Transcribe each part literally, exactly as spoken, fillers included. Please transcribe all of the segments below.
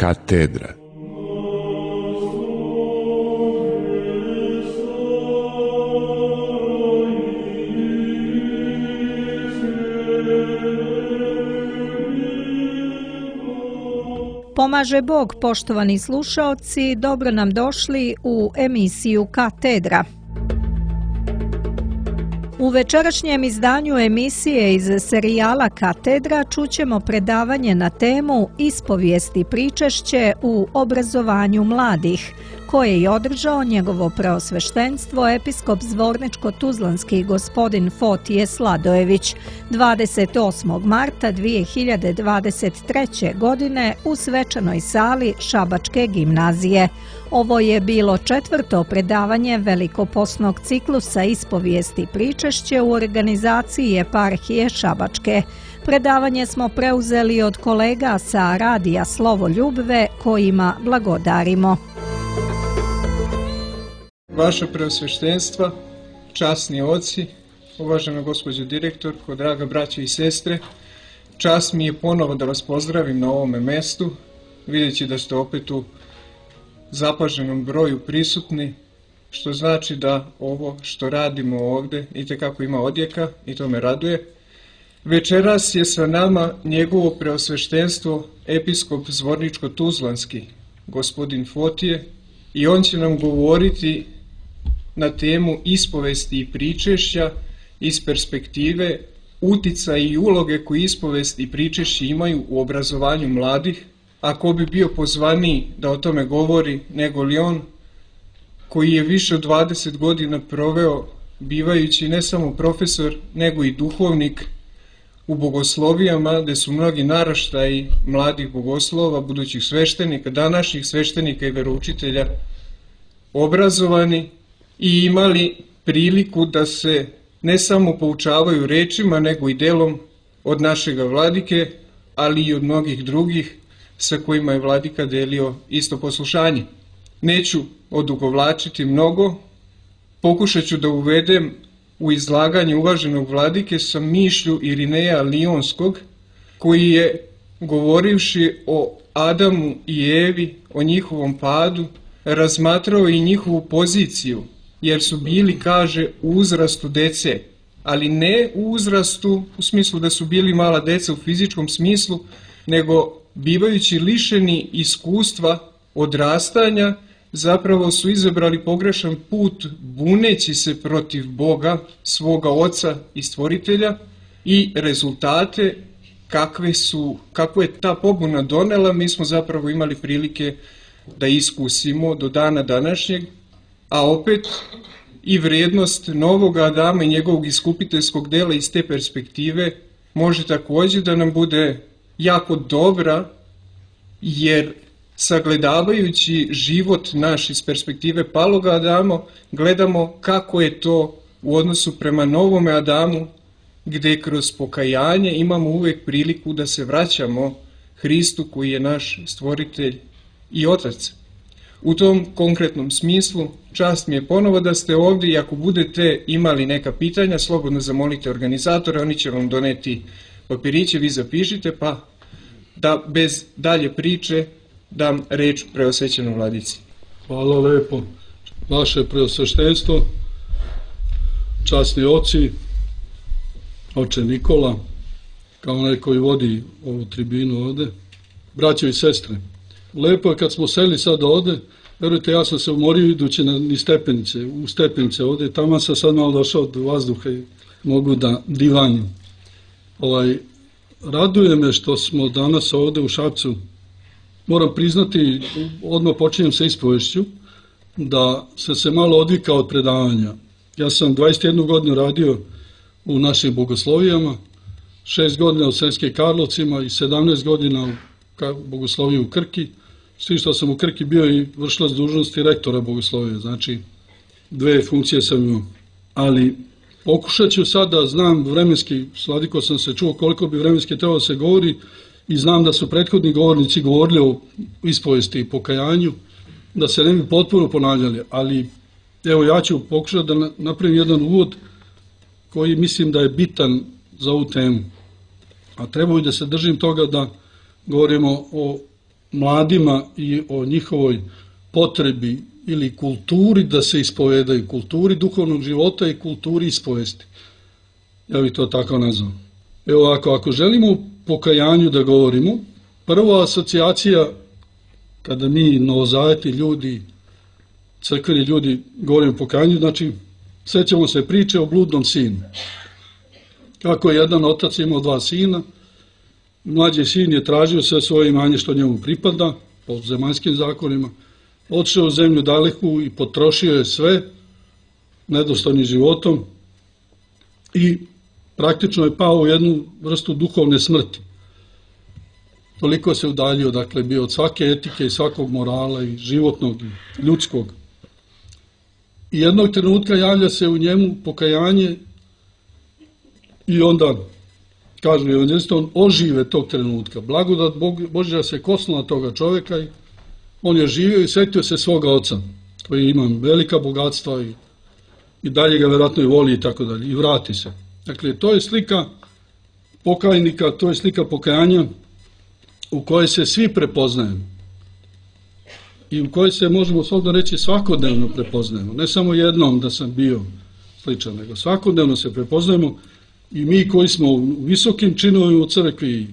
Katedra. Pomaže Bog, poštovani slušaoci, dobro nam došli u emisiju Katedra. U večerašnjem izdanju emisije iz serijala Katedra čućemo predavanje na temu Ispovijesti pričešće u obrazovanju mladih, koje je održao njegovo preosveštenstvo episkop Zvorničko-tuzlanski gospodin Fotije Sladojević dvadeset osmog marta dvije hiljade dvadeset treće. godine u svečanoj sali Šabačke gimnazije. Ovo je bilo četvrto predavanje velikoposnog ciklusa Ispovijesti pričešće u organizaciji Eparhije Šabačke. Predavanje smo preuzeli od kolega sa radija Slovo Ljubve, kojima blagodarimo. Vaša preosveštenstva, časni oci, uvažena gospođo direktorko, draga braće i sestre, čast mi je ponovo da vas pozdravim na ovome mestu, videći da ste opet u zapaženom broju prisutni, što znači da ovo što radimo ovde itekako ima odjeka i to me raduje. Večeras je sa nama njegovo preosveštenstvo episkop Zvorničko-tuzlanski, gospodin Fotije, i on će nam govoriti na temu ispovesti i pričešća iz perspektive uticaja i uloge koje ispovesti i pričešće imaju u obrazovanju mladih, a ko bi bio pozvaniji da o tome govori nego li on, koji je više od dvadeset godina proveo bivajući ne samo profesor, nego i duhovnik u bogoslovijama, gde su mnogi naraštaji mladih bogoslova, budućih sveštenika, današnjih sveštenika i veroučitelja obrazovani i imali priliku da se ne samo poučavaju rečima, nego i delom od našega vladike, ali i od mnogih drugih sa kojima je vladika delio isto poslušanje. Neću odugovlačiti mnogo, pokušat ću da uvedem u izlaganje uvaženog vladike sa mišlju Irineja Lionskog, koji je, govorivši o Adamu i Evi, o njihovom padu, razmatrao i njihovu poziciju, jer su bili, kaže, u uzrastu dece, ali ne u uzrastu u smislu da su bili mala deca u fizičkom smislu, nego bivajući lišeni iskustva odrastanja, zapravo su izabrali pogrešan put buneći se protiv Boga, svoga Oca i Stvoritelja, i rezultate kakve su, kako je ta pobuna donela, mi smo zapravo imali prilike da iskusimo do dana današnjeg, a opet i vrednost novog Adama i njegovog iskupiteljskog dela iz te perspektive može takođe da nam bude jako dobra, jer sagledavajući život naš iz perspektive paloga Adama, gledamo kako je to u odnosu prema novome Adamu, gde kroz pokajanje imamo uvek priliku da se vraćamo Hristu koji je naš stvoritelj i Otac. U tom konkretnom smislu, čast mi je ponovo da ste ovdje i ako budete imali neka pitanja, slobodno zamolite organizatore, oni će vam doneti papiriće, vi zapišite, pa da bez dalje priče dam reč preosvećenom vladici. Hvala lepo. Vaše preosveštenstvo, časni oci, oče Nikola, kao onaj koji vodi ovu tribinu ovde, braćo i sestre. Lepo je kad smo seli sad ovde, verujte, ja sam se umorio idući na ni stepenice, u stepenice ovde, tamo sam sad malo došao do vazduha i mogu da divanjem. Ovaj, raduje me što smo danas ovde u Šapcu. Moram priznati, odmah počinjem sa ispovešću, da sam se malo odvikao od predavanja. Ja sam dvadeset jednu godinu radio u našim bogoslovijama, šest godina u Sremskim Karlovcima i sedamnaest godina u bogosloviji u Krki, s tim što sam u Krki bio i vršilac dužnosti rektora bogoslovije, znači dve funkcije sam imao. Ali pokušat ću sad da znam vremenski, sladiko sam se čuo koliko bi vremenski trebalo da se govori i znam da su prethodni govornici govorili o ispovesti i pokajanju, da se ne bi potpuno ponavljali, ali evo ja ću pokušati da napravim jedan uvod koji mislim da je bitan za ovu temu. A trebao bi da se držim toga da govorimo o mladima i o njihovoj potrebi ili kulturi da se ispovedaju, kulturi duhovnog života i kulturi ispovesti. Ja bih to tako nazvao. Evo ovako, ako želimo o pokajanju da govorimo, prva asocijacija kada mi novozaveti ljudi, crkveni ljudi govorimo o pokajanju, znači sećamo se priče o bludnom sinu. Kako je jedan otac imao dva sina, mlađi sin je tražio sve svoje imanje što njemu pripada, po zemaljskim zakonima, otišao u zemlju daleku i potrošio je sve nedostojnim životom i praktično je pao u jednu vrstu duhovne smrti. Toliko se udaljio, dakle, bio od svake etike i svakog morala i životnog i ljudskog. I jednog trenutka javlja se u njemu pokajanje i onda, kažu evanđelisti, on ožive tog trenutka. Blagodat Božja se kosnula toga čoveka i on je živio i setio se svoga oca, koji ima velika bogatstva i, i dalje ga vjerojatno i voli i tako dalje, i vrati se. Dakle, to je slika pokajnika, to je slika pokajanja u kojoj se svi prepoznajemo i u kojoj se, možemo slobodno reći, svakodnevno prepoznajemo. Ne samo jednom da sam bio sličan, nego svakodnevno se prepoznajemo i mi koji smo u visokim činovima u crkvi,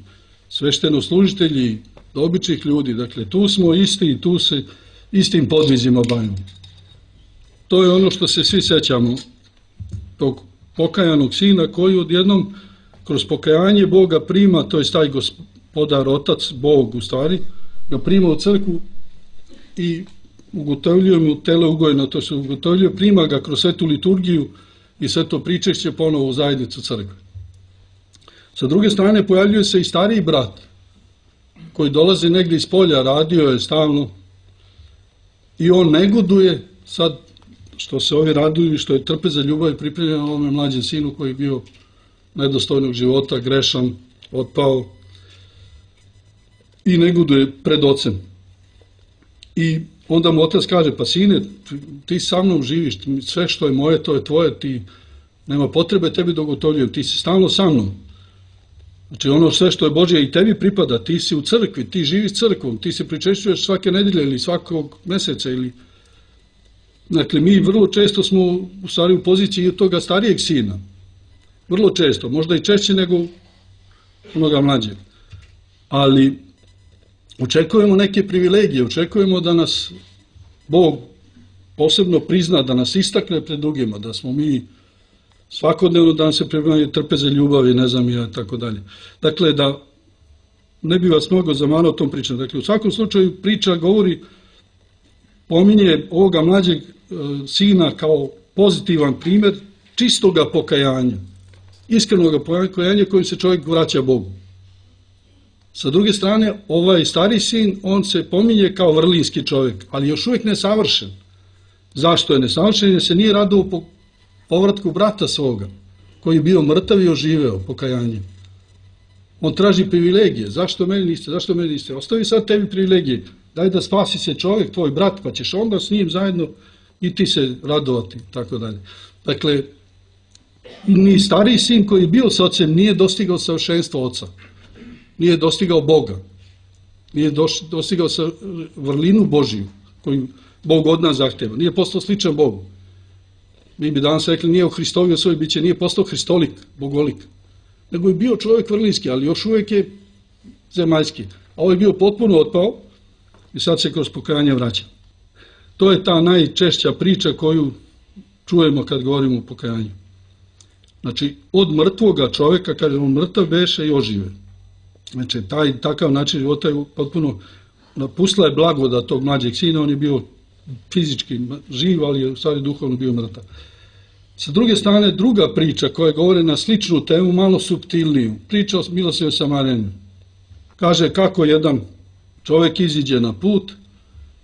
sveštenoslужitelji, običnih ljudi, dakle, tu smo isti i tu se istim podvizima bavimo. To je ono što se svi sećamo, tog pokajanog sina koji odjednom kroz pokajanje Boga prima, to je taj gospodar, otac, Bog u stvari, ga prima u crkvu i ugotovljuje mu tele ugojeno, to se ugotovljuje, prima ga kroz svetu liturgiju i sveto pričešće ponovo u zajednicu crkve. Sa druge strane pojavljuje se i stariji brat, koji dolazi negdje iz polja, radio je stalno i on negoduje sad što se ovi raduju i što je trpe za ljubav i pripremljen ovome mlađem sinu koji je bio nedostojnog života, grešan, otpao i negoduje pred ocem. I onda mu otac kaže, pa sine, ti sa mnom živiš, sve što je moje, to je tvoje, ti nema potrebe tebi da ugotovljujem, ti si stalno sa mnom. Znači ono sve što je Božje i tebi pripada, ti si u crkvi, ti živiš crkvom, ti se pričešćuješ svake nedelje ili svakog meseca ili... Dakle, mi vrlo često smo u stvari u poziciji toga starijeg sina. Vrlo često, možda i češće nego onoga mlađeg. Ali očekujemo neke privilegije, očekujemo da nas Bog posebno prizna, da nas istakne pred drugima, da smo mi svakodnevno da nam se pripremaju trpe za ljubav i ne znam ja, tako dalje. Dakle, da ne bi vas mnogo zamarao tom pričom. Dakle, u svakom slučaju priča govori, pominje ovoga mlađeg e, sina kao pozitivan primjer čistoga pokajanja, iskrenoga pokajanja kojim se čovjek vraća Bogu. Sa druge strane, ovaj stari sin, on se pominje kao vrlinski čovjek, ali još uvijek nesavršen. Zašto je nesavršen? Jer se nije radovao po povratku brata svoga, koji je bio mrtav i oživeo pokajanjem. On traži privilegije. Zašto meni niste? Zašto meni niste? Ostavi sad tebi privilegije. Daj da spasi se čovjek, tvoj brat, pa ćeš onda s njim zajedno i ti se radovati, tako dalje. Dakle, ni stariji sin koji je bio s ocem nije dostigao savršenstvo oca. Nije dostigao Boga. Nije dostigao vrlinu Božiju koju Bog od nas zahtjeva. Nije postao sličan Bogu. Mi bi danas rekli, nije u Hristovi u svoj biće, nije postao hristolik, bogolik. Nego je bio čovjek vrlinski, ali još uvijek je zemaljski. A ovo je bio potpuno otpao i sad se kroz pokajanje vraća. To je ta najčešća priča koju čujemo kad govorimo o pokajanju. Znači, od mrtvoga čovjeka, kaže on mrtav beše i ožive. Znači, taj takav način života je potpuno napustila je blagodat tog mlađeg sina, on je bio fizički živ, ali je u stvari duhovno bio mrtav. Sa druge strane, druga priča koja govori na sličnu temu, malo suptilniju, priča o milosrdnom Samarjaninu. Kaže kako jedan čovjek iziđe na put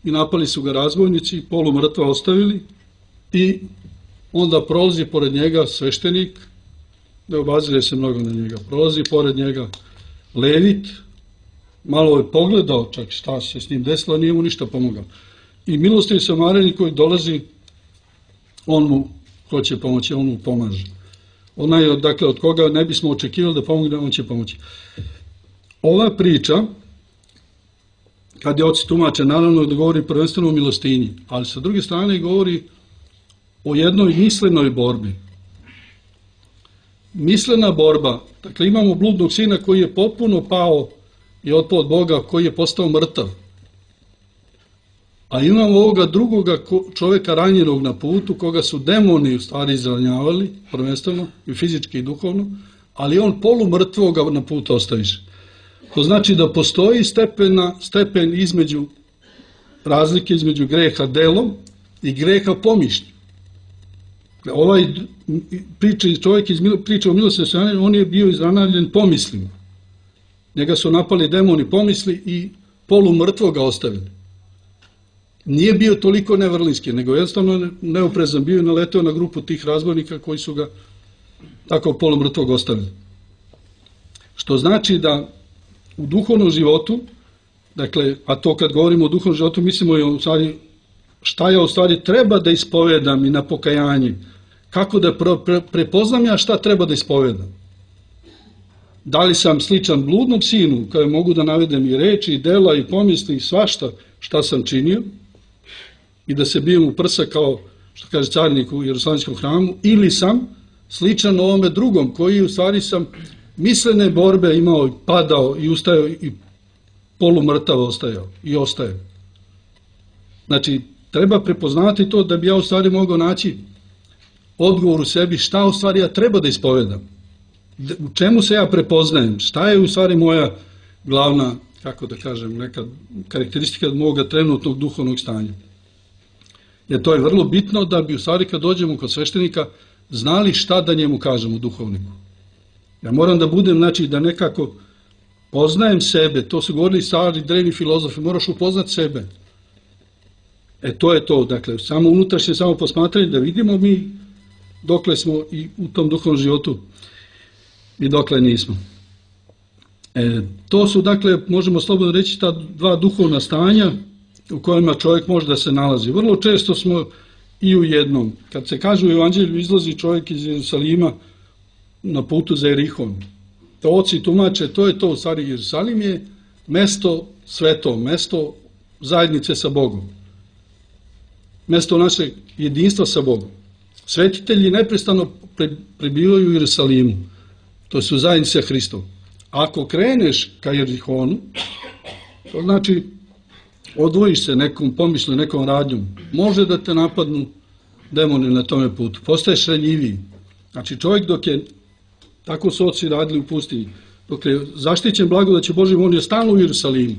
i napali su ga razbojnici, polu mrtva ostavili i onda prolazi pored njega sveštenik, ne obazire se mnogo na njega, prolazi pored njega levit, malo je pogledao čak šta se s njim desilo, nije mu ništa pomogao. I milosrdni Samarjanin koji dolazi, on mu hoće pomoći, on mu pomaže. Onaj, dakle, od koga ne bismo očekivali da pomogne, on će pomoći. Ova priča kad je oci tumače, naravno da govori prvenstveno o milostinji, ali sa druge strane govori o jednoj mislenoj borbi. Mislena borba, dakle imamo bludnog sina koji je potpuno pao i otpao od Boga, koji je postao mrtav. A imamo ovoga drugoga čoveka ranjenog na putu, koga su demoni u stvari izranjavali, prvenstveno i fizički i duhovno, ali on polumrtvoga na put ostaviše. To znači da postoji stepena, stepen između razlike između greha delom i greha pomišlju. Ovaj priča, čovjek iz priče o milosti, on je bio izranavljen pomislima. Njega su napali demoni pomisli i polumrtvo ga ostavili. Nije bio toliko nevrlinski, nego jednostavno neoprezan bio i naleteo na grupu tih razbojnika koji su ga tako polumrtvog ostavili. Što znači da u duhovnom životu, dakle, a to kad govorimo o duhovnom životu, mislimo i o stvari, šta ja u stvari treba da ispovedam i na pokajanje, kako da pre, pre, prepoznam ja šta treba da ispovedam. Da li sam sličan bludnom sinu, kada mogu da navedem i reči, i dela, i pomisli, i svašta šta sam činio, i da se bijem u prsa kao, što kaže carinik u Jerusalimskom hramu, ili sam sličan ovome drugom, koji u stvari sam mislene borbe imao, padao i ustajao i polumrtav ostajao i ostaje. Znači, treba prepoznati to da bi ja u stvari mogao naći odgovor u sebi šta u stvari ja treba da ispovedam. U čemu se ja prepoznajem? Šta je u stvari moja glavna, kako da kažem, neka karakteristika moga trenutnog duhovnog stanja? Jer to je vrlo bitno da bi u stvari kad dođemo kod sveštenika znali šta da njemu kažemo duhovniku. Ja moram da budem, znači da nekako poznajem sebe, to su govorili stari drevni filozofi, moraš upoznati sebe. E to je to, dakle, samo unutrašnje, samo posmatranje, da vidimo mi dokle smo i u tom duhovnom životu i dokle nismo. E, to su, dakle, možemo slobodno reći, ta dva duhovna stanja u kojima čovjek može da se nalazi. Vrlo često smo i u jednom. Kad se kaže u Evanđelju, izlazi čovjek iz Jerusalima na putu za Jerihon. To oci tumače, to je to, u stvari Jerusalim je mesto sveto, mesto zajednice sa Bogom. Mesto našeg jedinstva sa Bogom. Svetitelji neprestano prebivaju u Jerusalimu. To su zajednice Hristov. Ako kreneš ka Jerihonu, to znači odvojiš se nekom pomišlju, nekom radnjom, može da te napadnu demoni na tome putu. Postaješ ranjiviji. Znači čovjek dok je, tako su oci radili u pustinji, dok je zaštićen blagodaću Božjom, on je stalno u Jerusalimu.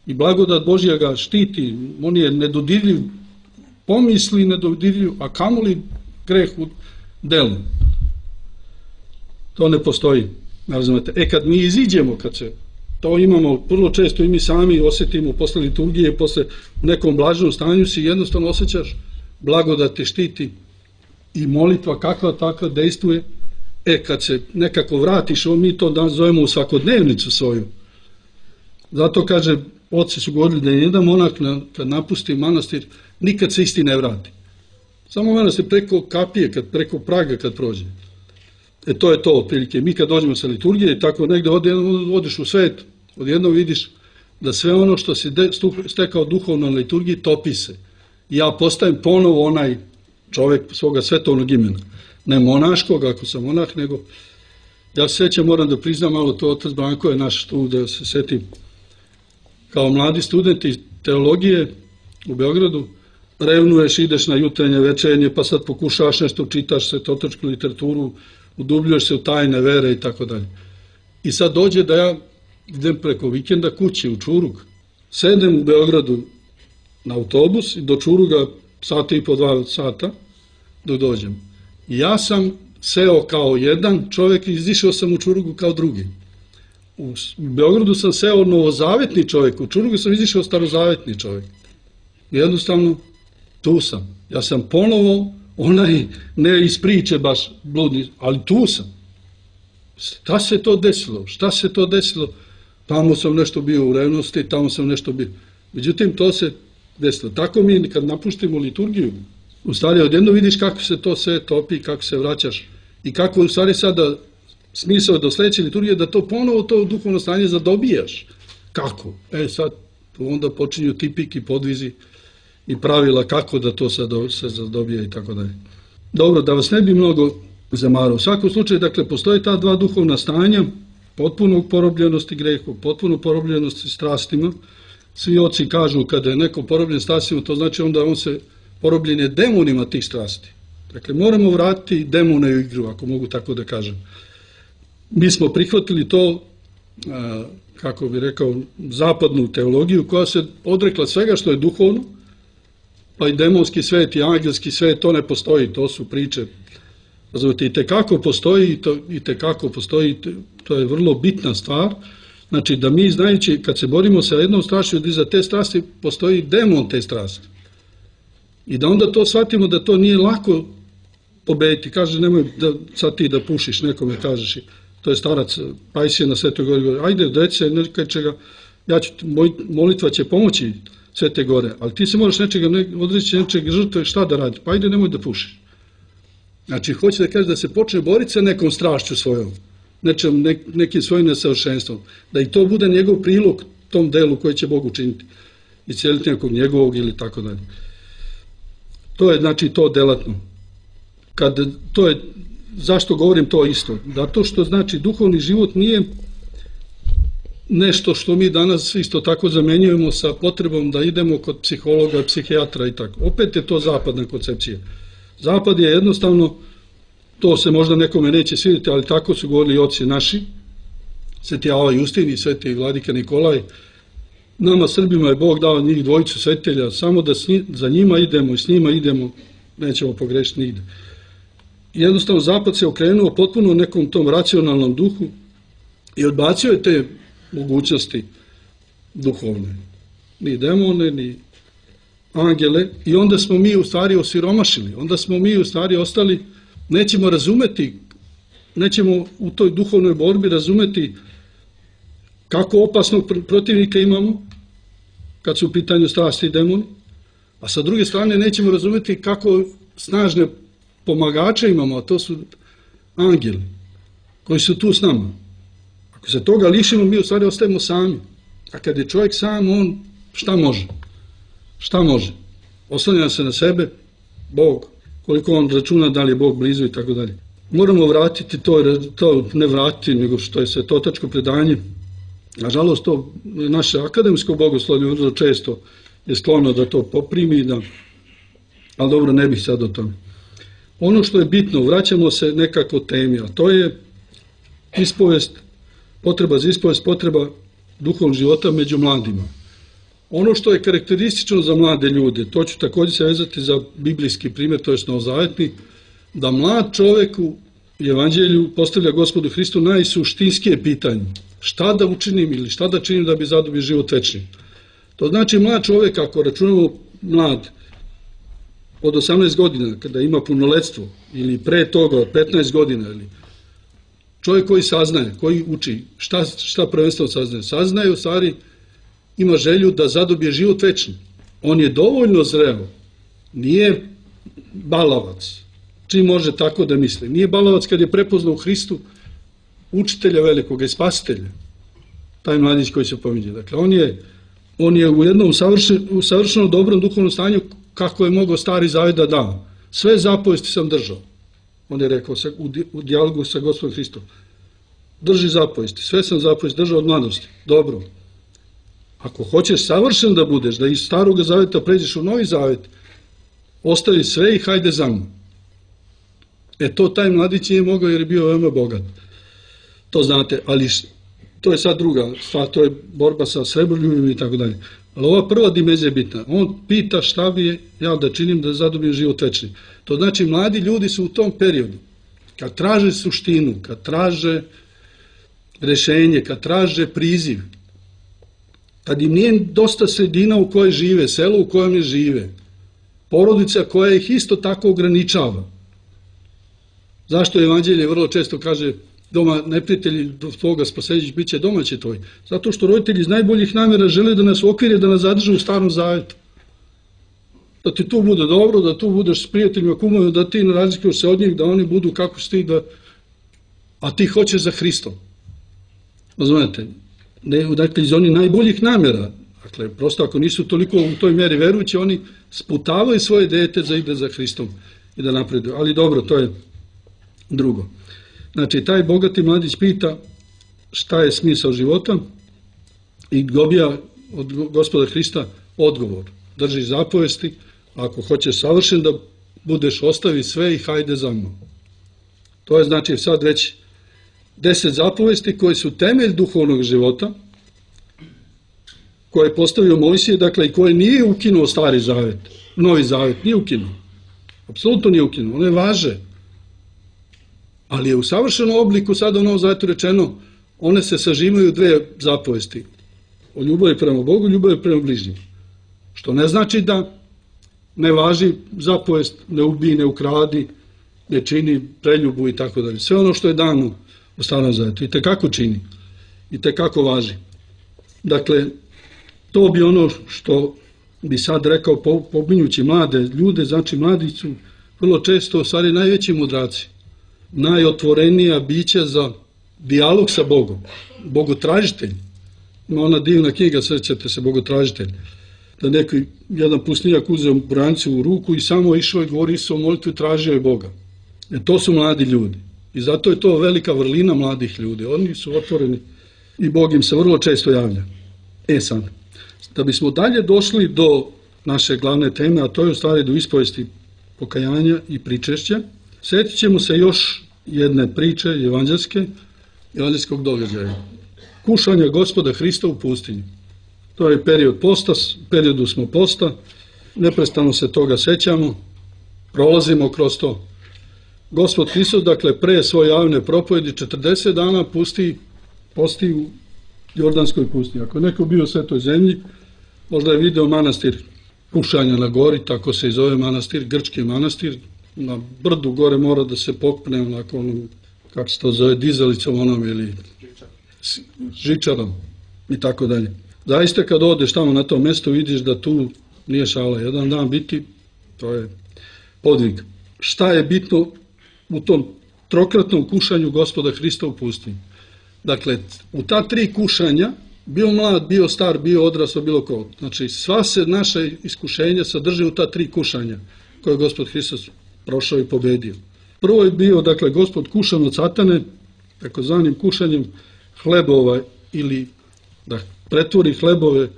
I blagodat Božja ga štiti, on je nedodirljiv pomisli, nedodirljiv, a kamoli greh u delu. To ne postoji. Razumete? E kad mi iziđemo, kad se to imamo, vrlo često i mi sami osjetimo posle liturgije, posle nekom blaženom stanju si jednostavno osjećaš blagodat te štiti i molitva kakva takva dejstvuje. E kad se nekako vratiš, mi to danas zovemo u svakodnevnicu svoju. Zato kaže, oci su govorili da je jedan monak kad napusti manastir, nikad se isti ne vrati. Samo manastir preko kapije, kad, preko praga kad prođe. E to je to otprilike. Mi kad dođemo sa liturgije, tako negde odeš u svet, odjednom vidiš da sve ono što si stekao duhovno na liturgiji topi se. I ja postajem ponovo onaj čovjek svoga svetovnog imena. Ne monaškog, ako sam monah, nego ja se sećam, moram da priznam malo to, otac Branko je naš tu, da se setim. Kao mladi studenti teologije u Beogradu, revnuješ, ideš na jutarnje, večernje, pa sad pokušavaš nešto, čitaš svetotočku literaturu, udubljuješ se u tajne vere i tako dalje. I sad dođe da ja idem preko vikenda kući u Čurug, sedem u Beogradu na autobus i do Čuruga sata i po dva sata dok dođem. I ja sam seo kao jedan čovjek i izišao sam u Čurugu kao drugi. U Beogradu sam seo novozavetni čovjek, u Čurugu sam izišao starozavetni čovjek. Jednostavno, tu sam. Ja sam ponovo onaj, ne iz priče baš bludni, ali tu sam. Šta se to desilo? Šta se to desilo? Tamo sam nešto bio u revnosti, tamo sam nešto bio. Međutim, to se desilo. Tako mi kad napuštimo liturgiju, u stvari odjedno vidiš kako se to sve topi, kako se vraćaš i kako u stvari sada smisao do sledeće liturgije da to ponovo to duhovno stanje zadobijaš. Kako? E sad, Tu onda počinju tipiki, podvizi i pravila kako da to se zadobije i tako dalje. Dobro, da vas ne bi mnogo zamarao. U svakom slučaju, dakle, postoje ta dva duhovna stanja, potpuno porobljenosti grehu, potpuno porobljenosti strastima. Svi oci kažu kada je neko porobljen strastima, to znači onda on se porobljen je demonima tih strasti. Dakle, moramo vratiti demone u igru, ako mogu tako da kažem. Mi smo prihvatili to, kako bi rekao, zapadnu teologiju koja se odrekla svega što je duhovno, pa i demonski svet i angelski svet, to ne postoji, to su priče. Razumite, i tekako postoji, to, i tekako postoji, to je vrlo bitna stvar. Znači da mi, znajući, kad se borimo sa jednom strašću, da iza te strasti postoji demon te strasti. I da onda to shvatimo da to nije lako pobediti. Kaže, nemoj da sad ti da pušiš, nekome kažeš, to je starac Pajsije na Svetoj Gori, ajde, dece, nekaj čega, ja ću, moj, molitva će pomoći Svete Gore, ali ti se moraš nečega, ne, odreći nečega žrtve, šta da radi, pa ajde, nemoj da pušiš. Znači, hoće da kaže da se počne boriti sa nekom strašću svojom, nečem, ne, nekim svojim nesavršenstvom, da i to bude njegov prilog tom delu koji će Bog učiniti, iscijeliti nekog njegovog ili tako dalje. To je, znači, to delatno. Kad, to je, zašto govorim to isto? Zato što, znači, duhovni život nije nešto što mi danas isto tako zamenjujemo sa potrebom da idemo kod psihologa, psihijatra i tako. Opet je to zapadna koncepcija. Zapad je jednostavno, to se možda nekome neće svidjeti, ali tako su govorili oci naši, Sveti Ava Justin i Sveti Vladika Nikolaj. Nama Srbima je Bog dao njih dvojicu svetitelja, samo da za njima idemo i s njima idemo, nećemo pogrešiti nigde. Jednostavno Zapad se okrenuo potpuno nekom tom racionalnom duhu i odbacio je te mogućnosti duhovne. Ni demone, ni angele, i onda smo mi u stvari osiromašili, onda smo mi u stvari ostali, nećemo razumeti, nećemo u toj duhovnoj borbi razumeti kako opasnog protivnika imamo, kad su u pitanju strasti i demoni, a sa druge strane nećemo razumeti kako snažne pomagače imamo, a to su angeli, koji su tu s nama. Ako se toga lišimo, mi u stvari ostajemo sami. A kad je čovjek sam, on šta može? Šta može? Oslanja se na sebe, Bog, koliko on računa da li je Bog blizu i tako dalje. Moramo vratiti to, to ne vratiti, nego što je svetotačko predanje. Nažalost, to naše akademsko bogoslovlje vrlo često je sklono da to poprimi, da, ali dobro, ne bih sad o tome. Ono što je bitno, vraćamo se nekako temi, a to je ispovest, potreba za ispovest, potreba duhovnog života među mladima. Ono što je karakteristično za mlade ljude, to ću također se vezati za biblijski primjer, to je novozavetni, da mlad čovjek u evanđelju postavlja Gospodu Hristu najsuštinskije pitanje. Šta da učinim ili šta da činim da bi zadobio život večni? To znači mlad čovjek, ako računamo mlad od osamnaest godina, kada ima punoletstvo, ili pre toga od petnaest godina, ili čovjek koji saznaje, koji uči, šta, šta prvenstveno saznaje? Saznaje u stvari, ima želju da zadobije život večni. On je dovoljno zreo, nije balavac, čim može tako da misli. Nije balavac kad je prepoznao u Hristu učitelja velikog i spasitelja, taj mladić koji se pominje. Dakle, on je, on je u jednom savršen, u savršeno dobrom duhovnom stanju kako je mogao Stari Zavet da da. Sve zapovesti sam držao. On je rekao sa, u, u dijalogu sa Gospodom Hristom. Drži zapovesti, sve sam zapovesti držao od mladosti. Dobro. Ako hoćeš savršen da budeš, da iz Starog Zaveta pređeš u Novi Zavet, ostavi sve i hajde za mnom. E to taj mladić nije mogao jer je bio veoma bogat. To znate, ali to je sad druga stvar, to je borba sa srebroljubim i tako dalje. Ali ova prva dimenzija je bitna. On pita šta bi ja da činim da zadobijem život večni. To znači mladi ljudi su u tom periodu, kad traže suštinu, kad traže rešenje, kad traže priziv, kad im nije dosta sredina u kojoj žive, selo u kojem je žive, porodica koja ih isto tako ograničava. Zašto evanđelje vrlo često kaže doma neprijatelji tvoga spaseđić bit će domaći tvoj? Zato što roditelji iz najboljih namjera žele da nas okvire, da nas zadrže u Starom Zavetu. Da ti tu bude dobro, da tu budeš s prijateljima, kumovima, da ti ne razlikuješ se od njih, da oni budu kako si ti, da... a ti hoćeš za Hristom. Razumete? Dakle, iz onih najboljih namjera, Dakle, prosto ako nisu toliko u toj meri verujući, oni sputavaju svoje dete za ide za Hristom i da napreduju. Ali dobro, to je drugo. Znači, taj bogati mladić pita šta je smisao života i dobija od Gospoda Hrista odgovor. Držiš zapovesti, ako hoćeš savršen da budeš, ostavi sve i hajde za mnom. To je znači sad već deset zapovesti koje su temelj duhovnog života, koje je postavio Mojsije, dakle, i koje nije ukinuo Stari Zavet, Novi Zavet, nije ukinuo. Apsolutno nije ukinuo, one važe. Ali je u savršenom obliku sada u Novom Zavetu rečeno, one se sažimaju u dve zapovesti. O ljubavi prema Bogu, ljubavi prema bližnjim. Što ne znači da ne važi zapovest, ne ubij, ne ukradi, ne čini preljubu i tako dalje. Sve ono što je dano u Starom Zavetu i tekako čini, i tekako važi. Dakle, to bi ono što bi sad rekao pominjući mlade ljude, znači mladi su vrlo često u stvari najveći mudraci, najotvorenija bića za dijalog sa Bogom, bogotražitelj. Ima ona divna knjiga, srećete se, Bogotražitelj, da neki jedan pustinjak uzeo brancu u ruku i samo išao i govorio o molitvi, tražio je Boga. E, to su mladi ljudi. I zato je to velika vrlina mladih ljudi. Oni su otvoreni i Bog im se vrlo često javlja. E sad, da bismo dalje došli do naše glavne teme, a to je u stvari do ispovesti pokajanja i pričešća, sjetit ćemo se još jedne priče evanđelske, evanđelskog događaja. Kušanja Gospoda Hrista u pustinji. To je period posta, u periodu smo posta, neprestano se toga sećamo, prolazimo kroz to. Gospod Hristos, dakle, pre svoje javne propovedi četrdeset dana pusti, posti u Jordanskoj pustinji. Ako je neko bio u Svetoj zemlji, možda je video manastir Kušanja na gori, tako se i zove manastir, grčki manastir, na brdu gore mora da se popne onako onom, kako se to zove, dizalicom onom ili žičarom i tako dalje. Zaista kad odeš tamo na to mesto vidiš da tu nije šala. Jedan dan biti, to je podvig. Šta je bitno u tom trokratnom kušanju Gospoda Hrista u pustinji? Dakle, u ta tri kušanja, bio mlad, bio star, bio odrasao, bilo ko. Znači, sva se naša iskušenja sadrže u ta tri kušanja koje je Gospod Hristos prošao i pobedio. Prvo je bio, dakle, Gospod kušan od satane, takozvanim kušanjem hlebova ili da pretvori hlebove,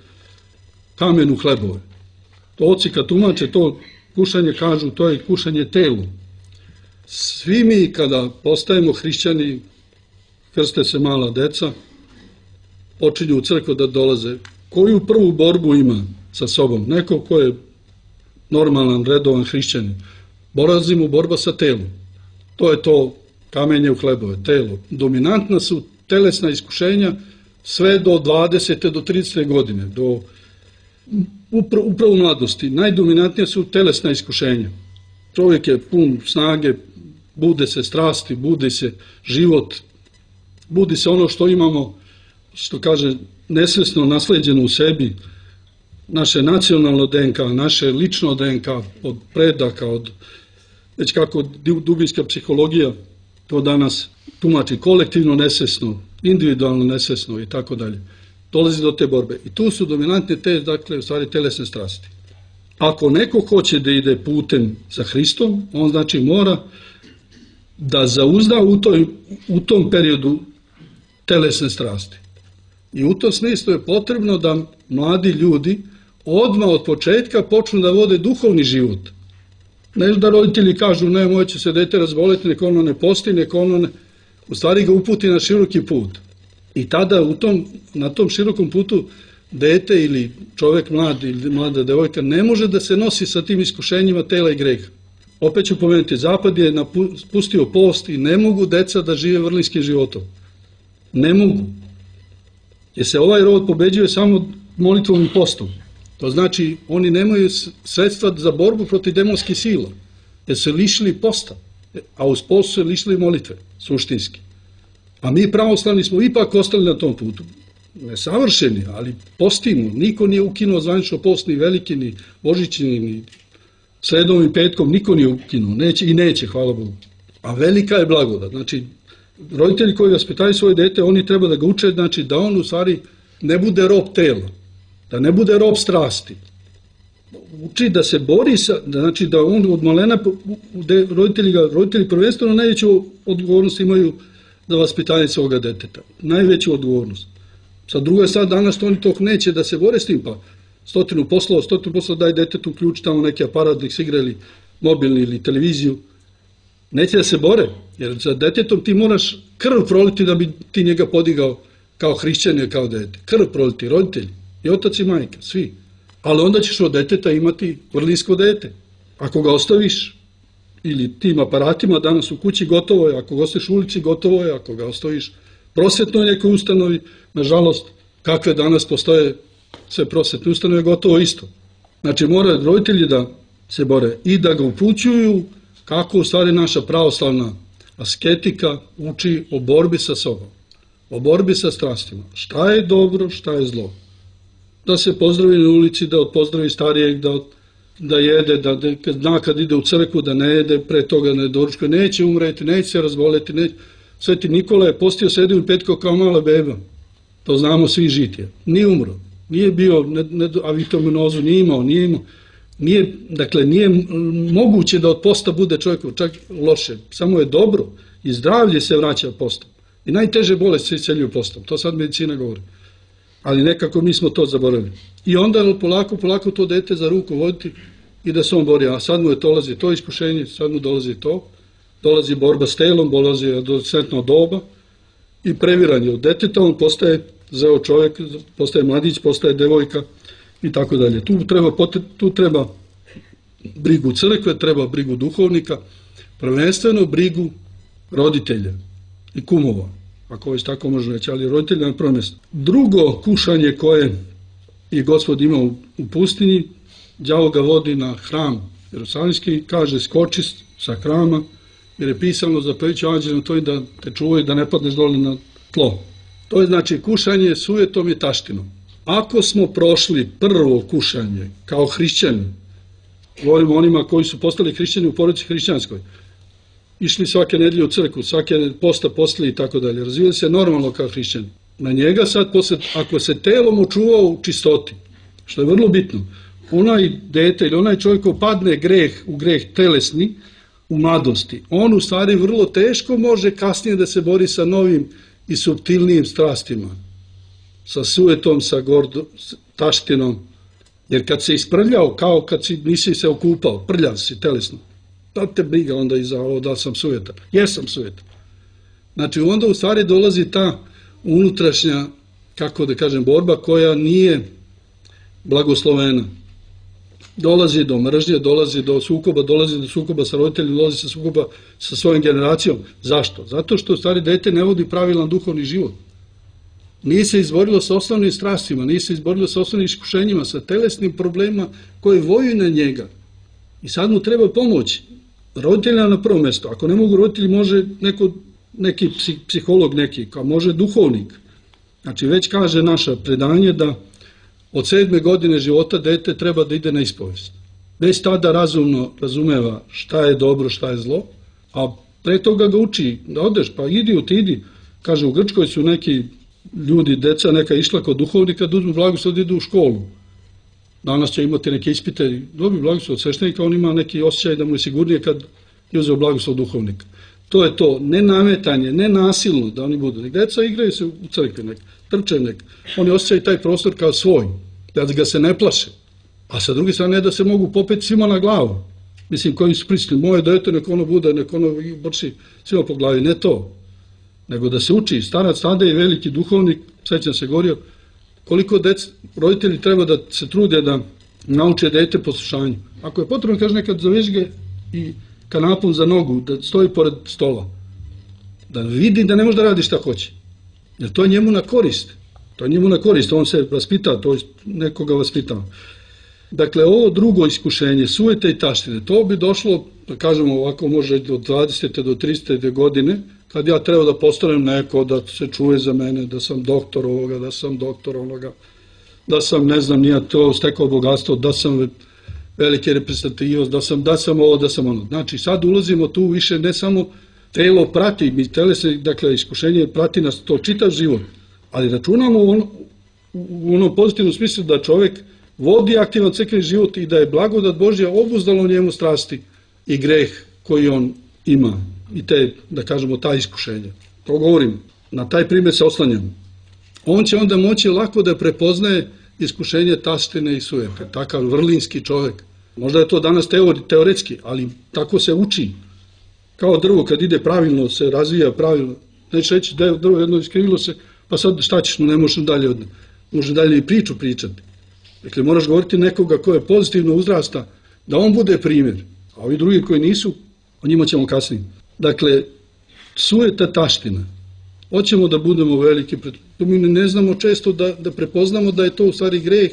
kamen u hlebove. To oci kad tumače to kušanje kažu, to je kušanje telu. Svi mi kada postajemo hrišćani, krste se mala deca, počinju u crkvu da dolaze. Koju prvu borbu ima sa sobom? Neko ko je normalan, redovan hrišćanin. Borazimo borba sa telom. To je to kamenje u hlebove, telo. Dominantna su telesna iskušenja sve do dvadesete do tridesete godine, do upravo, upravo u mladosti. Najdominantnija su telesna iskušenja. Čovjek je pun snage, bude se strasti, bude se život, budi se ono što imamo, što kaže, nesvjesno nasleđeno u sebi, naše nacionalno D N K, naše lično D N K, od predaka, od već kako dubinska psihologija to danas tumači, kolektivno nesvjesno, individualno nesvjesno i tako dalje. Dolazi do te borbe. I tu su dominantne te, dakle, u stvari telesne strasti. Ako neko hoće da ide putem za Hristom, on znači mora da zauzda u, toj, u tom periodu telesne strasti. I u tom smislu je potrebno da mladi ljudi odmah od početka počnu da vode duhovni život. Ne da roditelji kažu, ne, moje će se dete razboliti, neko ono ne posti, neko ono ne... U stvari ga uputi na široki put. I tada u tom, na tom širokom putu dete ili čovjek mlad ili mlada devojka ne može da se nosi sa tim iskušenjima tela i greha. Opet ću pomenuti, Zapad je napustio post i ne mogu deca da žive vrlinskim životom. Ne mogu. Jer se ovaj rod pobeđuje samo molitvom i postom. To znači, oni nemaju sredstva za borbu protiv demonskih sila, jer se lišili posta, a uz post se lišili molitve, suštinski. A mi pravoslavni smo ipak ostali na tom putu. Nesavršeni, ali postimo. Niko nije ukinuo zvanično post, ni veliki, ni božićni, ni sredom i petkom, niko nije ukinuo. Neće i neće, hvala Bogu. A velika je blagodat. Znači, roditelji koji vaspitaju svoje dete, oni treba da ga uče, znači da on u stvari ne bude rob tela. da ne bude rob strasti. Uči da se bori sa, znači da on od malena, roditelji, ga, roditelji prvenstveno najveću odgovornost imaju za vaspitanje svoga deteta. Najveću odgovornost. Sa druge sad danas oni to neće da se bore s tim, pa stotinu poslova, stotinu poslova daj detetu ključ tamo neki aparat da ih se igra ili mobilni ili televiziju. Neće da se bore, jer za detetom ti moraš krv proliti da bi ti njega podigao kao hrišćanin, kao dete. Krv proliti, roditelji, i otac i majka, svi. Ali onda ćeš od deteta imati vrlinsko dete. Ako ga ostaviš, ili tim aparatima, danas u kući gotovo je, ako ga ostaviš u ulici gotovo je, ako ga ostaviš prosvetnoj nekoj ustanovi, nažalost, kakve danas postoje sve prosvetne ustanove, gotovo isto. Znači, moraju roditelji da se bore i da ga upućuju kako u stvari naša pravoslavna asketika uči o borbi sa sobom, o borbi sa strastima. Šta je dobro, šta je zlo. Da se pozdravi na ulici, da pozdravi starijeg, da, da jede, da, da kad zna kad ide u crkvu, da ne jede, pre toga ne doručkuje, neće umreti, neće se razboleti. Neće. Sveti Nikola je postio sedam i petkao kao mala beba. To znamo svi žitije. Nije umro. Nije bio, ne, ne, avitaminozu nije imao, nije imao. Nije, dakle, nije moguće da od posta bude čovjeku čak loše. Samo je dobro i zdravlje se vraća postom. I najteže bolesti se isceljuju postom. To sad medicina govori. Ali nekako mi smo to zaboravili. I onda polako, polako to dete za ruku voditi i da se on bori. A sad mu je dolazi to iskušenje, sad mu dolazi to. Dolazi borba s telom, dolazi adolescentno doba i previranje od deteta. On postaje zeo čovjek, postaje mladić, postaje devojka i tako dalje. Tu treba, tu treba brigu crkve, treba brigu duhovnika, prvenstveno brigu roditelja i kumova, ako već tako može reći, ali roditelja na prvo mjesto. Drugo kušanje koje je Gospod imao u pustinji, đavo ga vodi na hram Jerusalimski, kaže skoči sa hrama, jer je pisano za peviću anđelima to i da te čuvaju da ne padneš dole na tlo. To je znači kušanje sujetom i taštinom. Ako smo prošli prvo kušanje kao hrišćani, govorimo onima koji su postali hrišćani u porodici hrišćanskoj, išli svake nedelje u crkvu, svake posta posle i tako dalje, razvijali se normalno kao hrišćani. Na njega sad, posle, ako se telom očuvao u čistoti, što je vrlo bitno, onaj dete ili onaj čovjek ko padne greh u greh telesni, u mladosti, on u stvari vrlo teško može kasnije da se bori sa novim i suptilnijim strastima, sa sujetom, sa gordo, taštinom, jer kad se isprljao, kao kad si, nisi se okupao, prljav si telesno, da te briga onda i za ovo da sam sujetan, jesam sujetan. Znači onda u stvari dolazi ta unutrašnja, kako da kažem, borba koja nije blagoslovena. Dolazi do mržnje, dolazi do sukoba, dolazi do sukoba sa roditeljima, dolazi sa sukoba sa svojom generacijom. Zašto? Zato što u stvari dete ne vodi pravilan duhovni život. Nije se izborilo sa osnovnim strastima, nije se izborilo sa osnovnim iskušenjima, sa telesnim problemima koje voju na njega. I sad mu treba pomoći. Roditelja na prvo mjesto. Ako ne mogu roditelji, može neko, neki psiholog neki, kao može duhovnik. Znači već kaže naša predanje da od sedme godine života dete treba da ide na ispovest. Već tada razumno razumeva šta je dobro, šta je zlo, a pre toga ga uči da odeš, pa idi, otidi. Kaže, u Grčkoj su neki ljudi, deca neka išla kod duhovnika da uzmu blagoslov da idu u školu. Danas će imati neke ispite, dobi blagoslov od sveštenika, on ima neki osjećaj da mu je sigurnije kad je uzeo blagoslov duhovnika. To je to, ne nametanje, ne nasilno da oni budu. Nek deca igraju se u crkvi, nek trče, nek oni osjećaju taj prostor kao svoj, da ga se ne plaše. A sa druge strane da se mogu popeti svima na glavu. Mislim, koji su prisutni, moje dete, nek ono bude, nek ono brši svima po glavi, ne to. Nego da se uči, starac tada i veliki duhovnik, sećam se govorio, koliko dec, roditelji treba da se trude da nauče dete poslušanju. Ako je potrebno, kaže, nekad zavežge i kanapom za nogu, da stoji pored stola, da vidi da ne može da radi šta hoće. Jer to je njemu na korist. To je njemu na korist, on se vaspita, to je nekoga vaspitava. Dakle, ovo drugo iskušenje, sujete i taštine, to bi došlo, da kažemo ovako, može od dvadesete do tridesete godine, kad ja treba da postanem neko, da se čuje za mene, da sam doktor ovoga, da sam doktor onoga, da sam, ne znam, nije to stekao bogatstvo, da sam velike reprezentativnost, da sam, da sam ovo, da sam ono. Znači, sad ulazimo tu više, ne samo telo prati, mi telesne, dakle, iskušenje prati nas to čitav život, ali računamo ono, u onom pozitivnom smislu da čovjek vodi aktivan crkveni život i da je blagodat Božja obuzdala u njemu strasti i greh koji on ima i te, da kažemo, ta iskušenja. To govorim, na taj primjer se oslanjam. On će onda moći lako da prepoznaje iskušenje taštine i sujete. Takav vrlinski čovjek. Možda je to danas teori, teoretski, ali tako se uči. Kao drvo kad ide pravilno, se razvija pravilno. Neće reći da je drvo jedno iskrivilo se, pa sad šta ćeš, ne možeš dalje od može dalje i priču pričati. Dakle, moraš govoriti nekoga ko je pozitivno uzrasta, da on bude primjer. A ovi drugi koji nisu, o njima ćemo kasnije. Dakle, sujeta taština. Hoćemo da budemo veliki, mi ne znamo često da, da prepoznamo da je to u stvari greh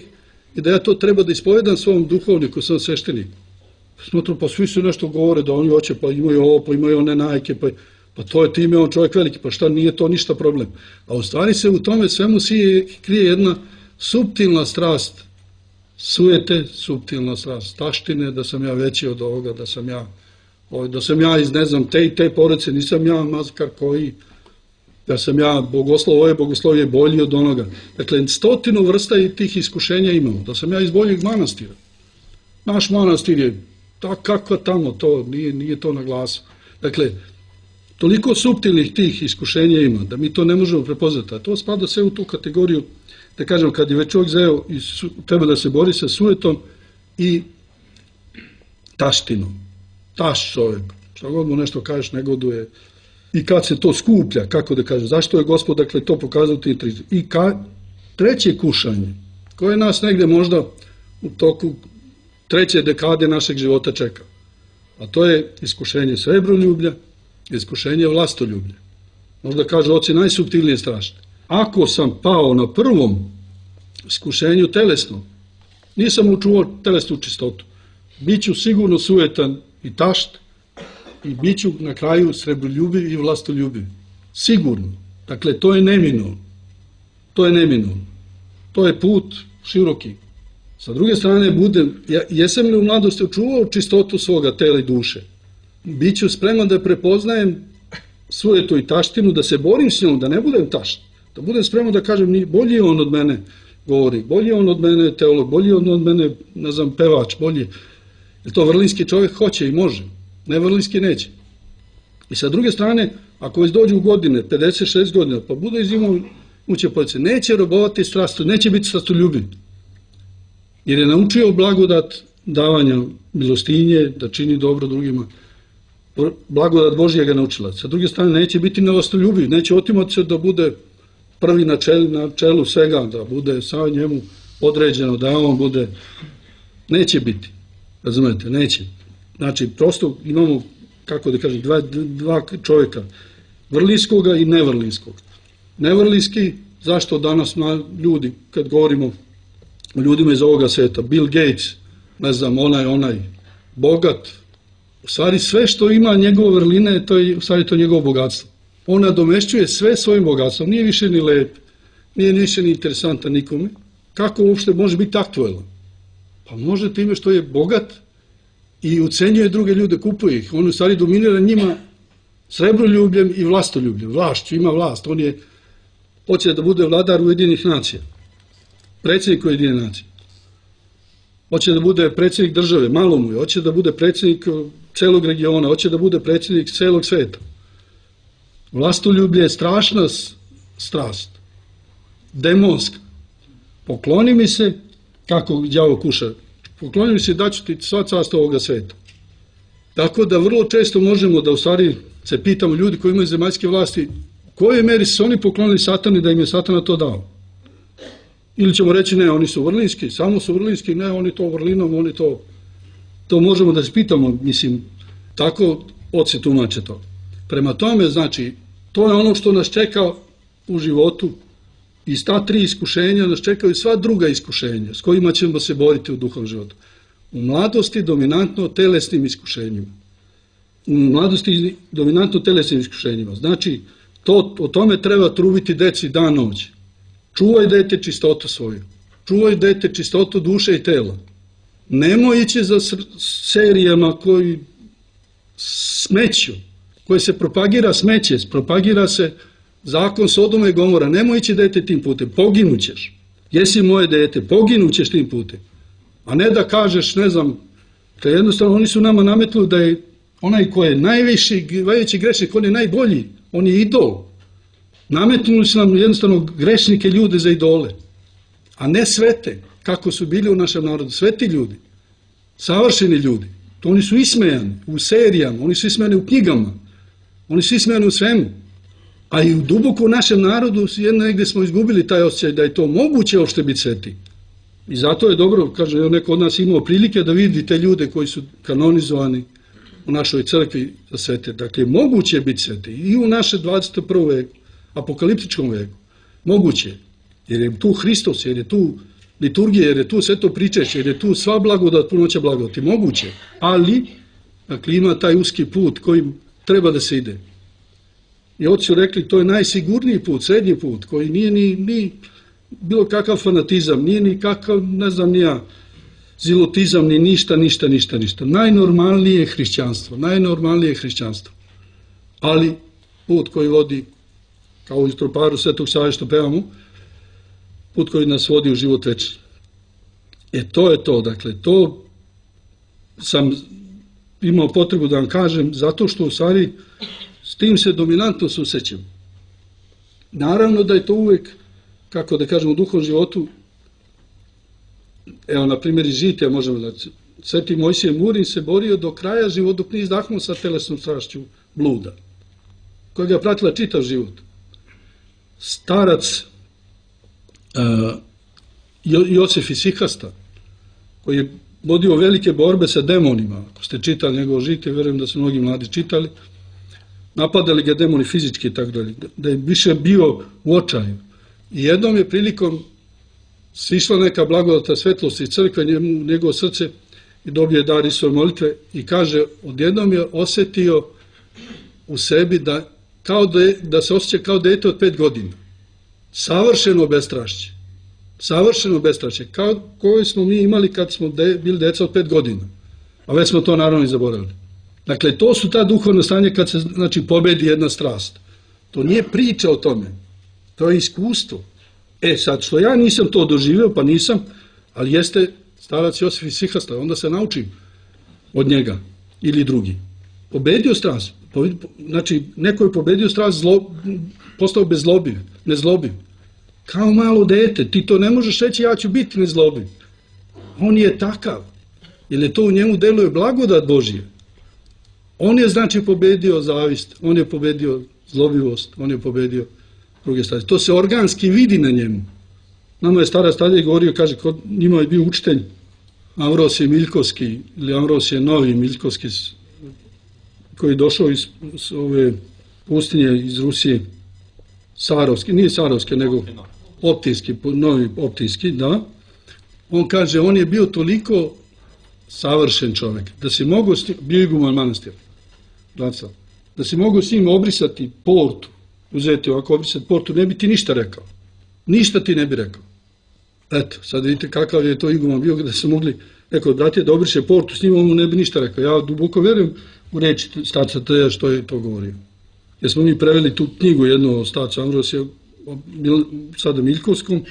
i da ja to treba da ispovedam svom duhovniku, svom svešteniku. Smotru, pa svi su nešto govore da oni hoće, pa imaju ovo, pa imaju one najke, pa, pa to je time on čovjek veliki, pa šta, nije to ništa problem. A u stvari se u tome svemu sije, krije jedna suptilna strast, sujete, suptilna strast, taštine, da sam ja veći od ovoga, da sam ja, da sam ja iz, ne znam, te i te porodice, nisam ja mazkar koji, da sam ja bogoslov, ovo je bogoslovje bolji od onoga. Dakle, stotinu vrsta i tih iskušenja imamo, da sam ja iz boljeg manastira. Naš manastir je tak, kako tamo, to nije, nije to na glasu. Dakle, toliko suptilnih tih iskušenja ima, da mi to ne možemo prepoznati. A to spada sve u tu kategoriju, da kažem, kad je već čovjek zeo i su, treba da se bori sa sujetom i taštinom. Taš čovjek, što god mu nešto kažeš, negoduje. I kad se to skuplja, kako da kažem, zašto je Gospod, dakle, to pokazao ti tri. I ka, treće kušanje, koje nas negde možda u toku treće dekade našeg života čeka. A to je iskušenje srebroljublja, iskušenje vlastoljublja. Možda kažu oci najsuptilnije strašne. Ako sam pao na prvom iskušenju telesnom, nisam učuvao telesnu čistotu, bit ću sigurno sujetan i tašt i bit ću na kraju srebroljubiv i vlastoljubiv. Sigurno. Dakle, to je neminovno. To je neminovno. To je put široki. Sa druge strane, budem, ja, jesam li u mladosti učuvao čistotu svoga tela i duše? Biću spreman da prepoznajem sujetu i taštinu, da se borim s njom, da ne budem tašt. Da budem spreman da kažem, bolji je on od mene govori, bolji je on od mene teolog, bolji je on od mene, ne znam, pevač, bolji. Jer to vrlinski čovjek hoće i može, ne vrlinski neće. I sa druge strane, ako već dođu u godine, pedeset šest godina, pa bude izimao uće police, neće robovati strastu, neće biti strastoljubiv. Jer je naučio blagodat davanja milostinje, da čini dobro drugima. Blagodat Božja ga naučila. Sa druge strane, neće biti nevlastoljubiv, neće otimati se da bude prvi na čelu, na čelu svega, da bude sa njemu određeno, da on bude. Neće biti. Razumete, neće. Znači, prosto imamo, kako da kažem, dva, dva čovjeka, vrlinskoga i nevrlinskog. Nevrlinski, zašto danas ljudi, kad govorimo o ljudima iz ovoga sveta, Bill Gates, ne znam, onaj, onaj, bogat, u stvari sve što ima njegove vrline, to je u stvari to njegovo bogatstvo. On nadomešćuje sve svojim bogatstvom, nije više ni lep, nije više ni interesantan nikome. Kako uopšte može biti aktuelan? Pa može time što je bogat i ucenjuje druge ljude, kupuje ih. On u stvari dominira njima srebroljubljem i vlastoljubljem. Vlašću, ima vlast. On je, hoće da bude vladar Ujedinjenih nacija. Predsjednik Ujedinjenih nacija. Hoće da bude predsjednik države, malo mu je. Hoće da bude predsjednik celog regiona. Hoće da bude predsjednik celog sveta. Vlastoljublje je strašna strast. Demonska. Pokloni mi se, kako đavo kuša, pokloni mi se da ću ti sva carstva ovoga sveta. Tako da vrlo često možemo da u stvari se pitamo ljudi koji imaju zemaljske vlasti, u kojoj meri su oni poklonili satani da im je satana to dao. Ili ćemo reći ne, oni su vrlinski, samo su vrlinski, ne, oni to vrlinom, oni to, to možemo da se pitamo, mislim, tako oci tumače to. Prema tome, znači, to je ono što nas čeka u životu. Iz ta tri iskušenja nas čekaju sva druga iskušenja s kojima ćemo se boriti u duhovnom životu. U mladosti dominantno telesnim iskušenjima. U mladosti dominantno telesnim iskušenjima. Znači, to, o tome treba trubiti deci dan noć. Čuvaj dete čistotu svoju. Čuvaj dete čistotu duše i tela. Nemoj ići za serijama koji smeću, koje se propagira smeće, propagira se zakon Sodoma i Gomora. Nemoj ići dete tim putem, poginućeš. jesi moje dete, poginućeš tim putem. A ne da kažeš, ne znam, da jednostavno oni su nama nametnuli da je onaj ko je najviši, najveći grešnik, on je najbolji, on je idol. Nametnuli su nam jednostavno grešnike ljude za idole, a ne svete, kako su bili u našem narodu, sveti ljudi, savršeni ljudi. To oni su ismejani u serijama, oni su ismejani u knjigama, oni su ismejani u svemu. A i u duboko u našem narodu jedno negdje smo izgubili taj osjećaj da je to moguće uopšte biti sveti. I zato je dobro, kaže, neko od nas imao prilike da vidi te ljude koji su kanonizovani u našoj crkvi za svete. Dakle, moguće je biti sveti i u naše dvadeset prvom veku, apokaliptičkom veku. Moguće, jer je tu Hristos, jer je tu liturgija, jer je tu sveto pričešće, jer je tu sva blagodat, punoća blagodati. Moguće, ali dakle, ima taj uski put kojim treba da se ide. I oci su rekli, to je najsigurniji put, srednji put, koji nije ni, ni bilo kakav fanatizam, nije ni kakav, ne znam, nija zilotizam, ni ništa, ništa, ništa, ništa. Najnormalnije je hrišćanstvo, najnormalnije je hrišćanstvo. Ali put koji vodi, kao u troparu Svetog Save što pevamo, put koji nas vodi u život večni. E to je to, dakle, to sam imao potrebu da vam kažem, zato što u stvari s tim se dominantno susrećem. Naravno da je to uvek, kako da kažem, u duhovnom životu, evo, na primjer, iz Žitija možemo da... Sveti Mojsije Murin se borio do kraja života, dok nije izdahnuo sa telesnom strašću bluda, koja ga je pratila čitav život. Starac uh, Josif iz Sihasta, koji je vodio velike borbe sa demonima, ako ste čitali njegovo Žitije, verujem da su mnogi mladi čitali, napadali ga demoni fizički i tako dalje, da je više bio u očaju. I jednom je prilikom sišla neka blagodata svetlosti crkve, njemu, njegovo srce, i dobio je dar Isusove molitve i kaže, odjednom je osjetio u sebi da, kao de, da se osjeća kao dete od pet godina. Savršeno bestrašće. Savršeno bestrašće. Kao koje smo mi imali kad smo de, bili deca od pet godina. A već smo to naravno i zaboravili. Dakle, to su ta duhovna stanje kad se, znači, pobedi jedna strast. To nije priča o tome. To je iskustvo. E sad, što ja nisam to doživio, pa nisam, ali jeste starac Josif iz Sihasta, onda se naučim od njega ili drugi. Pobedio strast. Znači, neko je pobedio strast, zlo, postao bezzlobiv, nezlobiv. Kao malo dete, ti to ne možeš reći, ja ću biti nezlobiv. On je takav, jer je to u njemu deluje blagodat Božije. On je, znači, pobedio zavist, on je pobedio zlobivost, on je pobedio druge stvari. To se organski vidi na njemu. Nama je stara stadija govorio, kaže, kod njima je bio učitelj Ambrosije Miljkovski, ili Ambrosije Novi Miljkovski, koji je došao iz, iz ove pustinje iz Rusije, Sarovski, nije Sarovski, nego Optijski, Novi Optijski, da. On kaže, on je bio toliko savršen čovjek, da si mogo, bio iguman manastir, da si mogo s njim obrisati portu, uzeti ovako obrisati portu, ne bi ti ništa rekao. Ništa ti ne bi rekao. Eto, sad vidite kakav je to iguman bio, da su mogli, rekao, bratje, da obriše portu, s njim on mu ne bi ništa rekao. Ja duboko verujem u reči starca Teja što je to govorio. Jer smo mi preveli tu knjigu jednu o starcu Ambrosija, sada Miljkovskom,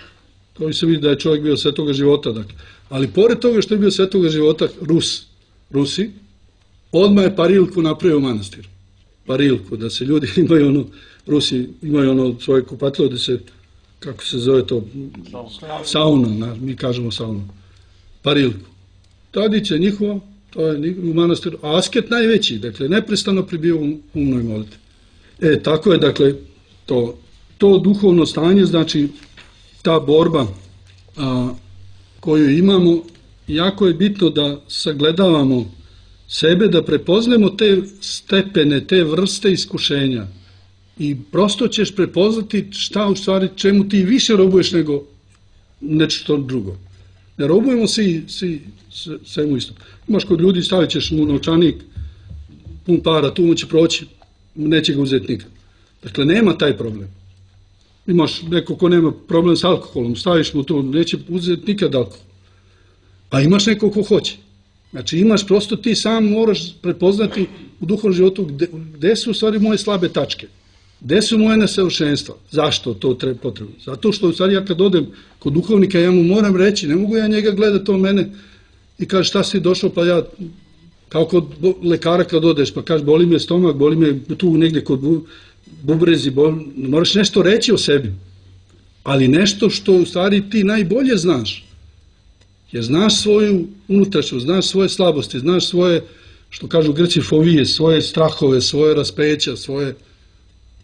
to se vidi da je čovjek bio svetoga života. Dakle. Ali pored toga što je bio svetoga života Rus, Rusi, odmah je parilku napravio u manastiru. Parilku, da se ljudi imaju ono, Rusi imaju ono svoje kupatilo, da se, kako se zove to, sauna, mi kažemo sauna, parilku. Tradicija njihova, to je u manastiru, a asket najveći, dakle, neprestano pribio u umnoj molitvi. E, tako je, dakle, to, to duhovno stanje, znači, ta borba a, koju imamo, jako je bitno da sagledavamo sebe, da prepoznemo te stepene, te vrste iskušenja i prosto ćeš prepoznati šta u stvari, čemu ti više robuješ nego nešto drugo. Ne robujemo svi, svi svemu isto. Imaš kod ljudi, stavit ćeš mu novčanik, pun para, tu mu će proći, neće ga uzeti nikad. Dakle, nema taj problem. Imaš neko ko nema problem s alkoholom, staviš mu to, neće uzeti nikad alkohol. A imaš neko ko hoće. Znači, imaš prosto ti sam moraš prepoznati u duhovnom životu gde, gde su u stvari moje slabe tačke. Gde su moje nesavršenstva? Zašto to treba potrebno? Zato što sad ja kad odem kod duhovnika, ja mu moram reći, ne mogu ja njega gledati o mene i kaže šta si došao, pa ja, kao kod lekara kad odeš, pa kaže boli me stomak, boli me tu negdje kod bubrezi, boli, moraš nešto reći o sebi, ali nešto što u stvari ti najbolje znaš, jer znaš svoju unutrašnjost, znaš svoje slabosti, znaš svoje, što kažu Grci, fobije, svoje strahove, svoje raspeća, svoje.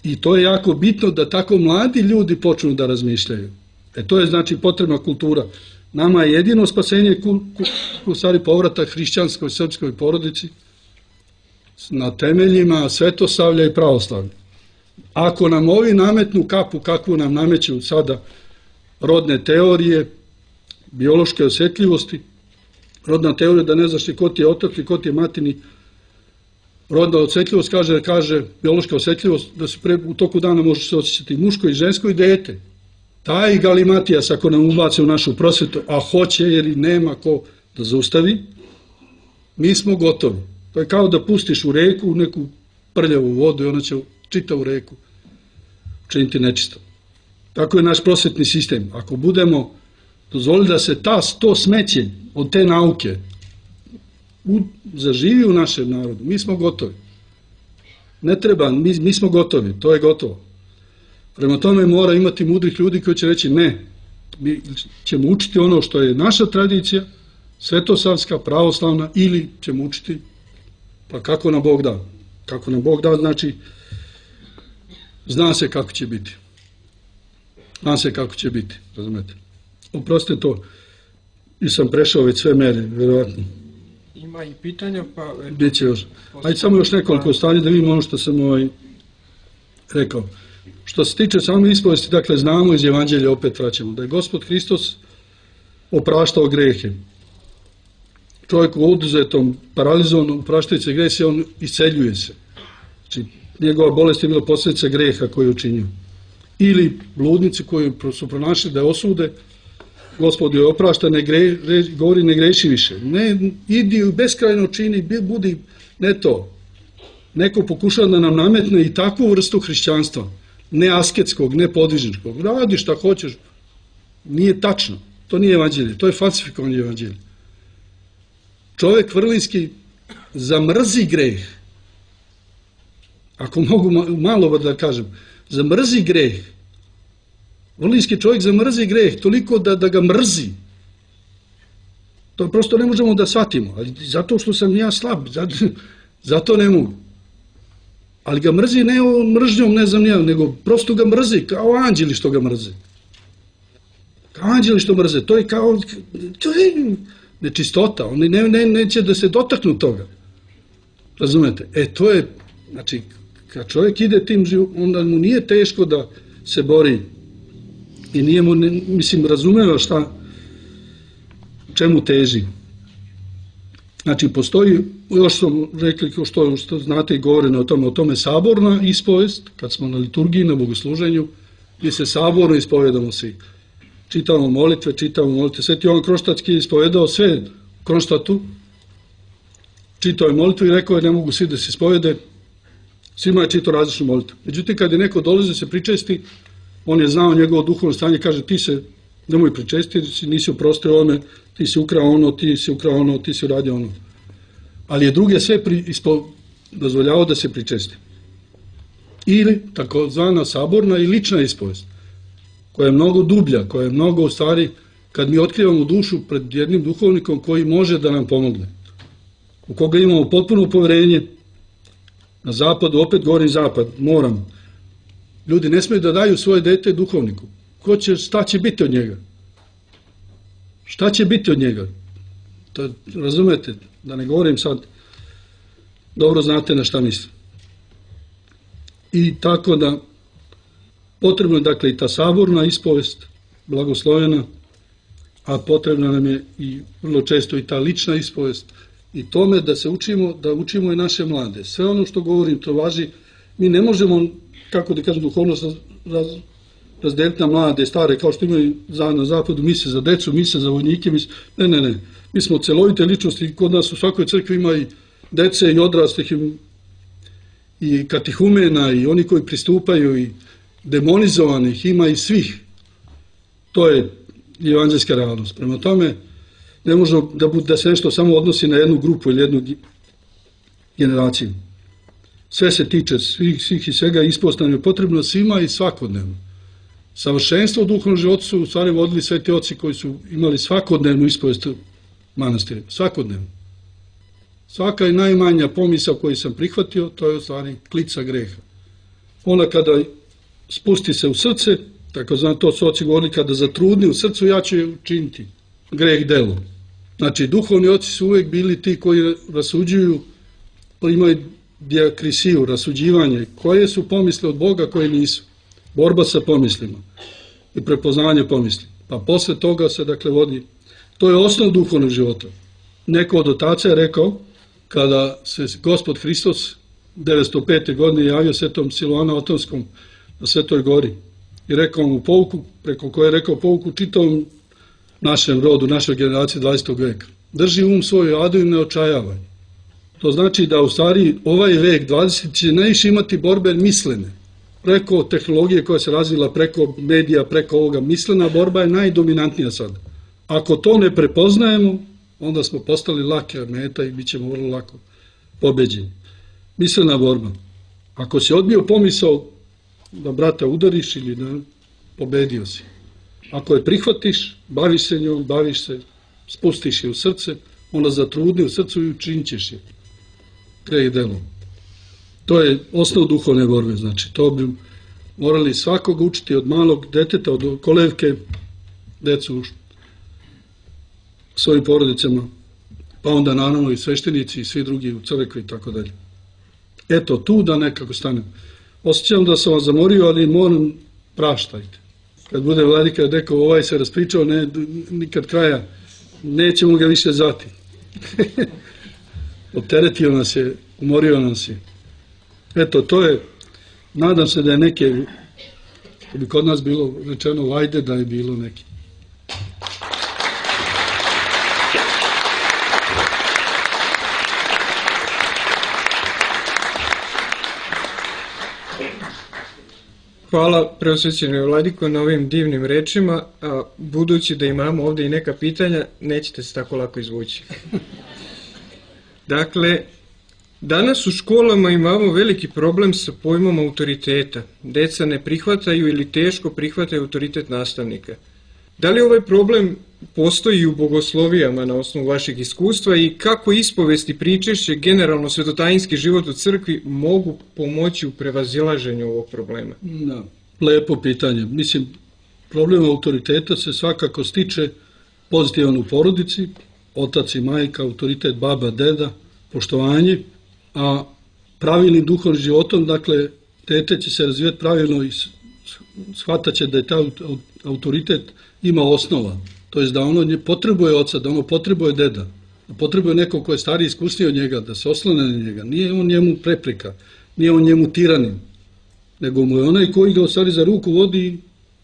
I to je jako bitno da tako mladi ljudi počnu da razmišljaju. E to je znači potrebna kultura. Nama je jedino spasenje u stvari povratak hrišćanskoj srpskoj porodici na temeljima svetosavlja i pravoslavlja. Ako nam ovi nametnu kapu kakvu nam nameću sada rodne teorije, biološke osjetljivosti, rodna teorija da ne znaš ni ko ti je otac i ko ti je matini, rodna osjetljivost kaže, kaže biološka osjetljivost da se pre, u toku dana može se osjećati muško i žensko i dete. Taj galimatijas ako nam ubace u našu prosvetu, a hoće jer i nema ko da zaustavi, mi smo gotovi. To je kao da pustiš u reku u neku prljavu vodu i ona će čitavu reku učiniti nečisto. Tako je naš prosvetni sistem. Ako budemo dozvolili da se ta, to smeće od te nauke u, zaživi u našem narodu, mi smo gotovi. Ne treba, mi, mi smo gotovi, to je gotovo. Prema tome mora imati mudrih ljudi koji će reći ne, mi ćemo učiti ono što je naša tradicija, svetosavska, pravoslavna, ili ćemo učiti pa kako nam Bog da. Kako nam Bog da, znači zna se kako će biti. Zna se kako će biti, razumete. Oprostite to, nisam prešao već sve mere, vjerovatno. Ima i pitanja, pa... Biće još. Ajde samo još nekoliko stvari da vidimo ono što sam ovaj rekao. Što se tiče same ispovesti, dakle, znamo iz Evanđelja, opet vraćamo, da je Gospod Hristos opraštao grehe. Čovjek u oduzetom, paralizovanom, opraštajući se grehe, on isceljuje se. Znači, njegova bolest je bila posljedica greha koju je učinio. Ili bludnici koji su pronašli da je osude, Gospod je oprašta, ne gre, govori ne greši više. Ne, idi u beskrajno čini, budi, ne to. Neko pokušava da nam nametne i takvu vrstu hrišćanstva, ne asketskog, ne podvižničkog. Radi šta hoćeš. Nije tačno. To nije evanđelje. To je falsifikovanje evanđelja. Čovjek vrlinski zamrzi greh. Ako mogu malo da kažem. Zamrzi greh. Vrlinski čovjek zamrzi greh toliko da, da ga mrzi. To prosto ne možemo da shvatimo. Ali zato što sam ja slab. Zato, zato ne mogu. Ali ga mrzi ne mržnjom, ne znam nijel, nego prosto ga mrzi, kao anđeli što ga mrze. Kao anđeli što mrze. To je kao, to je nečistota. Oni ne, ne, neće da se dotaknu toga. Razumete? E, to je, znači, kad čovjek ide tim životom, onda mu nije teško da se bori. I nije mu, ne, mislim, razumeva šta, čemu teži. Znači, postoji, još smo rekli, što, što znate i govoreno o tome, o tome saborna ispovest, kad smo na liturgiji, na bogosluženju, gdje se saborno ispovedamo svi. Čitamo molitve, čitamo molitve. Sveti Jovan Kronštatski je ispovedao sve u Kronštatu, čitao je molitvu i rekao je ne mogu svi da se ispovede, svima je čitao različnu molitvu. Međutim, kad je neko dolazi da se pričesti, on je znao njegovo duhovno stanje, kaže ti se nemoj pričestiti, nisi oprostio ovome, ti si ukrao ono, ti si ukrao ono, ti si uradio ono. Ali je druge sve pri, ispo, dozvoljavao da se pričesti. Ili takozvana saborna i lična ispovest, koja je mnogo dublja, koja je mnogo u stvari, kad mi otkrivamo dušu pred jednim duhovnikom koji može da nam pomogne, u koga imamo potpuno poverenje, na zapadu, opet govorim zapad, moram, ljudi ne smiju da daju svoje dete duhovniku. Ko će, šta će biti od njega? Šta će biti od njega? To, razumete, da ne govorim sad, dobro znate na šta mislim. I tako da, potrebno je dakle i ta saborna ispovest, blagoslovena, a potrebna nam je i vrlo često i ta lična ispovest, i tome da se učimo, da učimo i naše mlade. Sve ono što govorim, to važi, mi ne možemo, kako da kažem, duhovnost raz, razdeliti na mlade, stare, kao što imaju na zapadu, mise za decu, mise za vojnike, mise, ne, ne, ne. Mi smo celovite ličnosti, kod nas u svakoj crkvi ima i dece i odraslih i, i katihumena i oni koji pristupaju i demonizovanih, ima i svih. To je evanđelska realnost. Prema tome, ne može da, da se nešto samo odnosi na jednu grupu ili jednu generaciju. Sve se tiče svih, svih i svega ispostavljeno potrebno svima i svakodnevno. Savršenstvo u duhovnom životu su u stvari vodili sveti oci koji su imali svakodnevnu ispovest manastirima. Svakodnevno. Svaka i najmanja pomisao koju sam prihvatio, to je u stvari klica greha. Ona kada spusti se u srce, tako znam, to su oci govorili, kada zatrudni u srcu, ja ću je učiniti greh delom. Znači, duhovni oci su uvijek bili ti koji rasuđuju, imaju diakrisiju, rasuđivanje, koje su pomisle od Boga, koje nisu. Borba sa pomislima i prepoznanje pomisli. Pa posle toga se, dakle, vodi, to je osnov duhovnog života. Neko od otaca je rekao, kada se Gospod Hristos devetsto pete. godine javio svetom Siluanu Atonskom na Svetoj gori i rekao mu pouku, preko koje je rekao pouku čitavom našem rodu, našoj generaciji dvadesetog veka. Drži um svoju adu i ne očajavaj. To znači da u stvari ovaj vek dvadeseti će najviše imati borbe mislene. Preko tehnologije koja se razvila, preko medija, preko ovoga, mislena borba je najdominantnija sad. Ako to ne prepoznajemo, onda smo postali lake meta i bit ćemo vrlo lako pobeđeni. Mislena borba. Ako si odbio pomisao da brata udariš ili da pobedio si. Ako je prihvatiš, baviš se njom, baviš se, spustiš je u srce, onda zatrudni u srcu i učinit ćeš je. Greh delom. To je osnov duhovne borbe, znači to bi morali svakog učiti od malog deteta, od kolevke, decu u svojim porodicama, pa onda naravno i sveštenici i svi drugi u crkvi i tako dalje. Eto, tu da nekako stanem. Osjećam da sam vas zamorio, ali moram, praštajte. Kad bude vladika rekao, ovaj se raspričao, ne, nikad kraja, nećemo ga više zvati. Opteretio nas je, umorio nas je. Eto, to je, nadam se da je neke, da bi kod nas bilo rečeno, vajde da je bilo neki. Hvala preosvećenoj vladiko na ovim divnim rečima, a budući da imamo ovdje i neka pitanja, nećete se tako lako izvući. Dakle, danas u školama imamo veliki problem sa pojmom autoriteta. Deca ne prihvataju ili teško prihvataju autoritet nastavnika. Da li ovaj problem postoji u bogoslovijama na osnovu vašeg iskustva i kako ispovesti pričešće, generalno svetotajinski život u crkvi mogu pomoći u prevazilaženju ovog problema? Da, lepo pitanje. Mislim, problem autoriteta se svakako stiče pozitivan u porodici, otac i majka, autoritet baba, deda, poštovanje, a pravilnim duhovnim životom, dakle, dete će se razvijati pravilno i shvatat će da je taj autoritet ima osnova. To je da ono ne potrebuje oca, da ono potrebuje deda, da potrebuje neko ko je stariji, iskusniji od njega, da se oslone na njega. Nije on njemu prepreka, nije on njemu tiranin, nego mu je onaj koji ga u stvari za ruku vodi,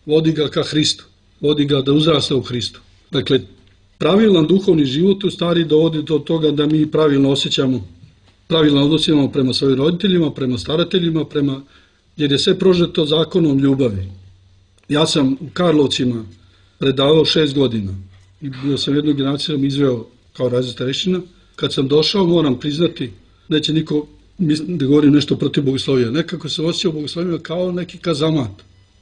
vodi ga ka Hristu, vodi ga da uzrasta u Hristu. Dakle, pravilan duhovni život u stvari dovodi do toga da mi pravilno osjećamo, pravilno odnosimo prema svojim roditeljima, prema starateljima, prema, jer je sve prožeto zakonom ljubavi. Ja sam u Karlovcima predavao šest godina i bio sam jednu generaciju izveo kao razred starešina. Kad sam došao, moram priznati, neće niko da govorim nešto protiv bogoslovija. Nekako se osjećao bogoslovija kao neki kazamat.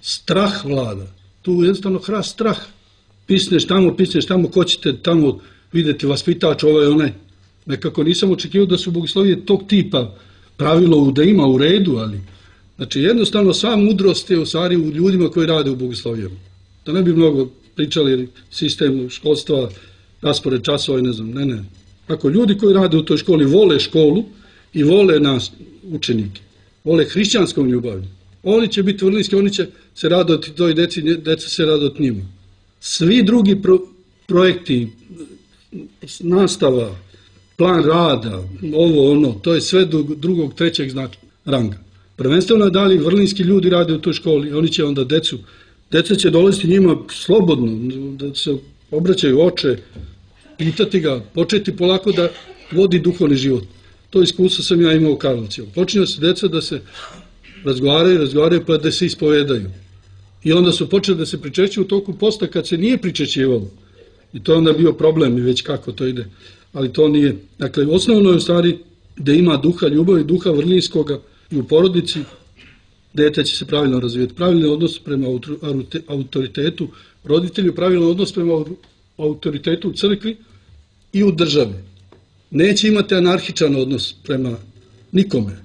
Strah vlada. Tu jednostavno hrast strah. Pisneš tamo, pisneš tamo, ko ćete tamo vidjeti vaspitač, ovaj onaj. Nekako nisam očekivao da su bogoslovije tog tipa, pravilo da ima u redu, ali znači jednostavno sva mudrost je u stvari u ljudima koji rade u bogoslovijama. Da ne bi mnogo pričali sistem školstva, raspored časova i ne znam, ne, ne. Ako ljudi koji rade u toj školi vole školu i vole nas, učenike, vole hrišćanskom ljubavlju, oni će biti vrlinski, oni će se radoti toj deci, deca se radoti njima. Svi drugi pro, projekti, nastava, plan rada, ovo, ono, to je sve do drugog, trećeg značaja, ranga. Prvenstveno je da li vrlinski ljudi rade u toj školi, oni će onda decu, deca će dolaziti njima slobodno, da se obraćaju oče, pitati ga, početi polako da vodi duhovni život. To iskustvo sam ja imao u Karlovcima. Počinju se deca da se razgovaraju, razgovaraju pa da se ispovedaju. I onda su počeli da se pričešćuju u toku posta kad se nije pričešćivalo. I to je onda bio problem i već kako to ide. Ali to nije. Dakle, osnovno je u stvari da ima duha ljubavi, duha vrlinskoga i u porodici, dete će se pravilno razvijeti. Pravilni odnos prema autoritetu roditelju, pravilan odnos prema autoritetu u crkvi i u državi. Neće imati anarhičan odnos prema nikome.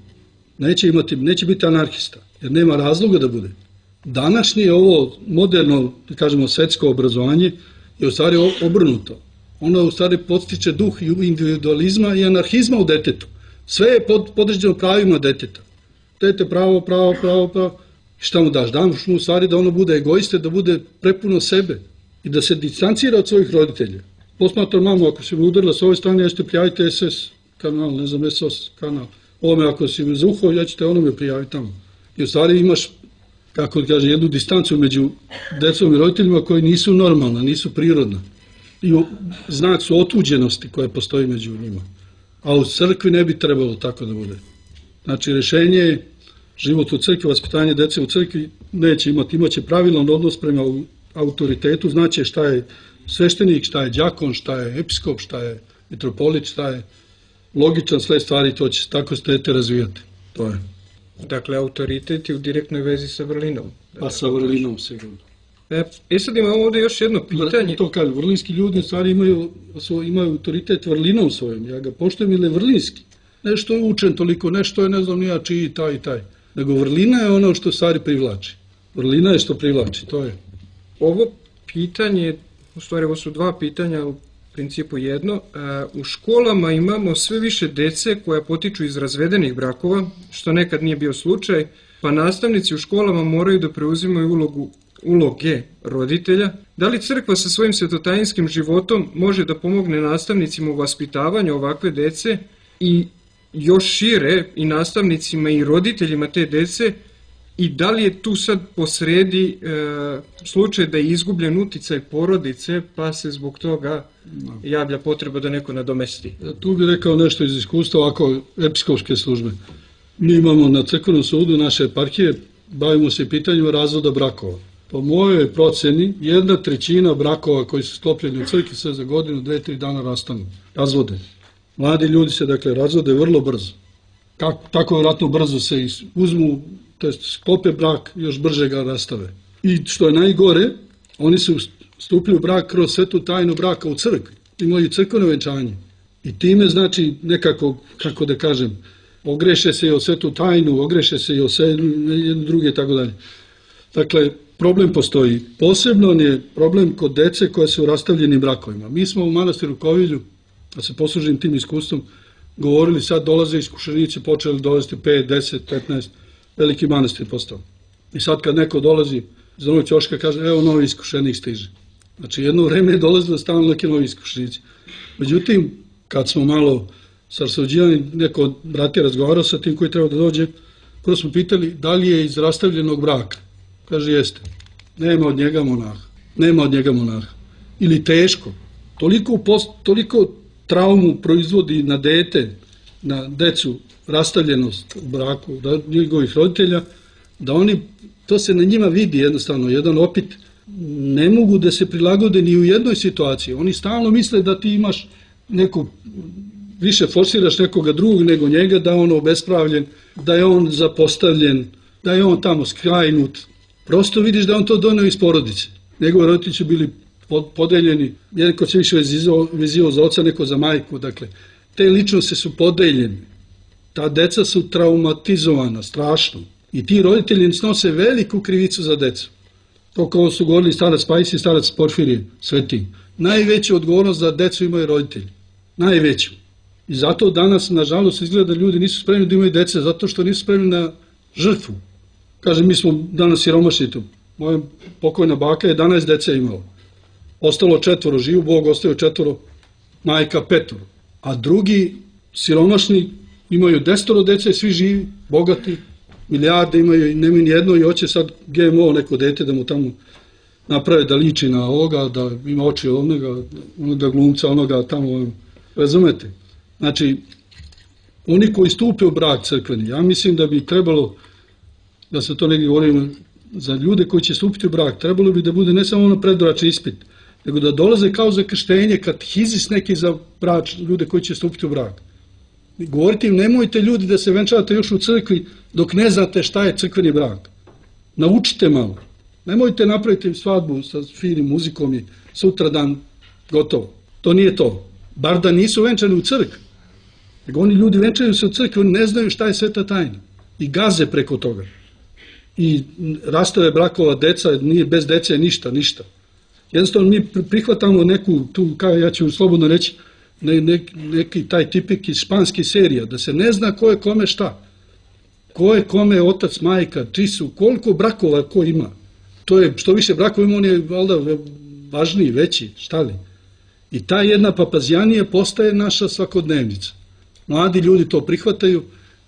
Neće, imati, neće biti anarhista, jer nema razloga da bude. Današnje ovo moderno, da kažemo, svetsko obrazovanje je u stvari obrnuto. Ono u stvari podstiče duh individualizma i anarhizma u detetu. Sve je pod, podređeno pravima deteta. Dete pravo, pravo, pravo, pravo. Šta mu daš? Daš mu u stvari da ono bude egoiste, da bude prepuno sebe i da se distancira od svojih roditelja. Posmatra mamu, ako si mi udarila s ove strane, ja ćete prijaviti es es kanal, ne znam, es o es kanal. Ovome, ako si mi zaухao, ja ćete onome prijaviti tamo. I u stvari imaš, kako da kaže, jednu distancu među decom i roditeljima koji nisu normalna, nisu prirodna. I znak su otuđenosti koja postoji među njima. A u crkvi ne bi trebalo tako da bude. Znači, rešenje je život u crkvi, vaspitanje dece u crkvi neće imati, imaće pravilan odnos prema autoritetu, znači šta je sveštenik, šta je đakon, šta je episkop, šta je mitropolit, šta je logičan sled stvari, to će tako se dete razvijati. To je. Dakle, autoritet je u direktnoj vezi sa vrlinom. Pa sa vrlinom, sigurno. E, e sad imamo ovde još jedno pitanje. To kaže, vrlinski ljudi u stvari imaju, imaju autoritet vrlinom svojom. Ja ga poštujem ili je vrlinski. Nešto je učen toliko, nešto je, ne znam, nija čiji, taj i taj. Nego vrlina je ono što stvari privlači. Vrlina je što privlači, to je. Ovo pitanje, u stvari ovo su dva pitanja, u principu jedno. U školama imamo sve više dece koja potiču iz razvedenih brakova, što nekad nije bio slučaj, pa nastavnici u školama moraju da preuzimaju ulogu uloge roditelja. Da li crkva sa svojim svetotajinskim životom može da pomogne nastavnicima u vaspitavanju ovakve dece i još šire i nastavnicima i roditeljima te dece, i da li je tu sad posredi e, slučaj da je izgubljen uticaj porodice pa se zbog toga javlja potreba da neko nadomesti? Tu bih rekao nešto iz iskustva ovako episkopske službe. Mi imamo na crkvenom sudu naše eparhije, bavimo se pitanjima razvoda brakova. Po mojoj proceni, jedna trećina brakova koji su sklopljeni u crkvi se za godinu, dve, tri dana rastanu, razvode. Mladi ljudi se, dakle, razvode vrlo brzo. Kako, tako vjerojatno brzo se uzmu, to jest sklope brak, još brže ga rastave. I što je najgore, oni su stupili u brak kroz svetu tajnu braka u crkvi. Imaju crkveno venčanje. I time, znači, nekako, kako da kažem, ogreše se i o svetu tajnu, ogreše se i o sve jedno druge i tako dalje. Dakle, problem postoji. Posebno je problem kod dece koje su u rastavljenim brakovima. Mi smo u manastiru Kovilju, da se poslužim tim iskustvom, govorili sad dolaze iskušenici, počeli dolaziti pet, deset, petnaest, veliki manastir postao. I sad kad neko dolazi za onog ćoška kaže, evo novi iskušenik stiže. Znači jedno vreme je dolazilo stalno neke novi iskušenici. Međutim, kad smo malo sarsuđivani, neko od bratija razgovarao sa tim koji treba da dođe, prvo smo pitali da li je iz rastavljenog braka. Kaže, jeste. Nema od njega monaha. Nema od njega monaha. Ili teško. Toliko, post, toliko traumu proizvodi na dete, na decu, rastavljenost u braku njegovih roditelja, da oni, to se na njima vidi jednostavno, jedan opit, ne mogu da se prilagode ni u jednoj situaciji. Oni stalno misle da ti imaš neko, više forsiraš nekoga drugog nego njega, da je on obespravljen, da je on zapostavljen, da je on tamo skrajnut. Prosto vidiš da on to doneo iz porodice. Njegovi roditelji su bili podeljeni, neko se više vezivao za oca, neko za majku, dakle, te ličnosti su podeljene. Ta deca su traumatizovana, strašno. I ti roditelji snose veliku krivicu za decu. To kao su govorili starac Pajsi i starac Porfirije, sveti. Najveću odgovornost za decu imaju roditelji. Najveću. I zato danas, nažalost, izgleda da ljudi nisu spremni da imaju dece, zato što nisu spremni na žrtvu. Kaže, mi smo danas siromašni tu. Moja pokojna baka je jedanaest dece imala. Ostalo četvoro, živu Bog, ostavio četvoro, majka petoro. A drugi siromašni imaju desetoro dece, svi živi, bogati, milijarde imaju i nemaju nijedno i hoće sad ge em o neko dete da mu tamo naprave da liči na ovoga, da ima oči onoga, onoga glumca, onoga tamo, razumete? Znači, oni koji stupe u brak crkveni, ja mislim da bi trebalo, da se to negdje govorimo, za ljude koji će stupiti u brak, trebalo bi da bude ne samo ono predbračni ispit, nego da dolaze kao za krštenje, katehizis neki za brač, ljude koji će stupiti u brak. Govorite im, nemojte ljudi da se venčavate još u crkvi dok ne znate šta je crkveni brak. Naučite malo. Nemojte napraviti svadbu sa finim muzikom i sutra dan gotovo. To nije to. Bar da nisu venčani u crkvi. Nego oni ljudi venčaju se u crkvi, oni ne znaju šta je sveta tajna. I gaze preko toga. I rastave brakova deca, nije bez dece ništa, ništa. Jednostavno mi prihvatamo neku, tu, kao ja ću slobodno reći, ne, ne, neki taj tipik iz španskih serija, da se ne zna ko je kome šta. Ko je kome otac, majka, čiji su, koliko brakova ko ima. To je, što više brakova ima, on je valjda važniji, veći, šta li. I ta jedna papazjanija postaje naša svakodnevnica. Mladi ljudi to prihvataju,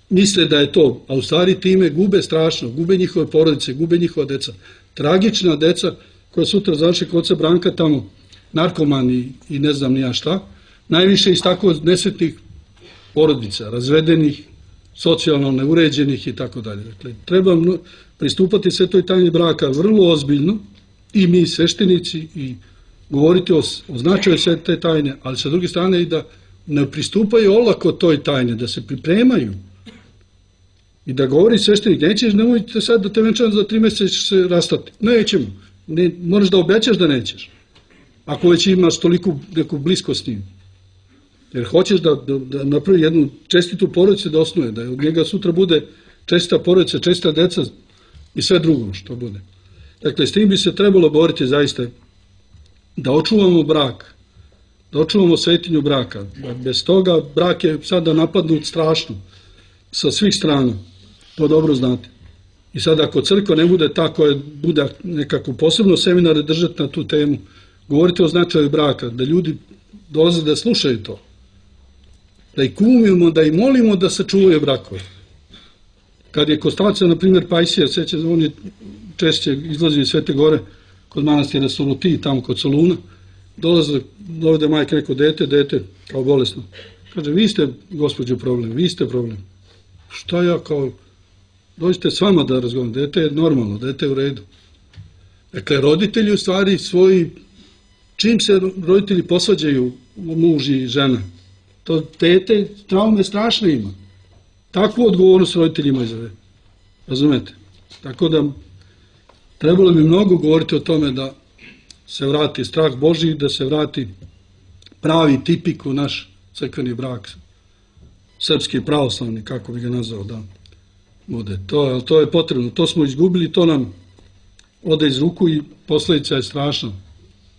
misle da je to, a u stvari time gube strašno, gube njihove porodice, gube njihova deca. Tragična deca koja sutra završi kod oca Branka tamo, narkomani i ne znam ni ja šta, najviše iz tako nesretnih porodica, razvedenih, socijalno neuređenih i tako dalje. Dakle, treba pristupati svetoj tajni braka vrlo ozbiljno, i mi sveštenici, i govoriti o, o značaju svete tajne, ali sa druge strane i da ne pristupaju olako toj tajne, da se pripremaju i da govori sveštenik, nećeš, nemojte sad da te venčam za tri mjeseca ćeš se rastati. Nećemo, ne, moraš da obećaš da nećeš, ako već imaš toliko neku bliskost s njim. Jer hoćeš da, da, da napravi jednu čestitu porodicu da osnuje, da od njega sutra bude čestita porodica, čestita deca i sve drugo što bude. Dakle, s tim bi se trebalo boriti zaista da očuvamo brak, da očuvamo svetinju braka. Bez toga brak je sada napadnut strašno, sa svih strana, to dobro znate. I sad ako crkva ne bude ta koja bude nekako posebno seminare držati na tu temu, govoriti o značaju braka, da ljudi dolaze da slušaju to, da ih kumimo, da ih molimo da sačuvaju brakove. Kad je Kostaca, na primjer, Pajsija, seća, on je češće izlazio iz Svete Gore, kod manastira Soluti, tamo kod Soluna, dolaze, dovede majka neko dete, dete kao bolesno. Kaže, vi ste, gospođo, problem, vi ste problem. Šta ja kao, dođite s vama da razgovaram, dete je normalno, dete je u redu. Dakle, roditelji u stvari svoji, čim se roditelji posvađaju, muž i žena, to dete traume strašne ima. Takvu odgovornost roditeljima izave. Razumete? Tako da trebalo bi mnogo govoriti o tome da se vrati strah Božji, da se vrati pravi tipik u naš crkveni brak, srpski pravoslavni, kako bi ga nazvao, da bude. To, to je potrebno, to smo izgubili, to nam ode iz ruku i posljedica je strašna.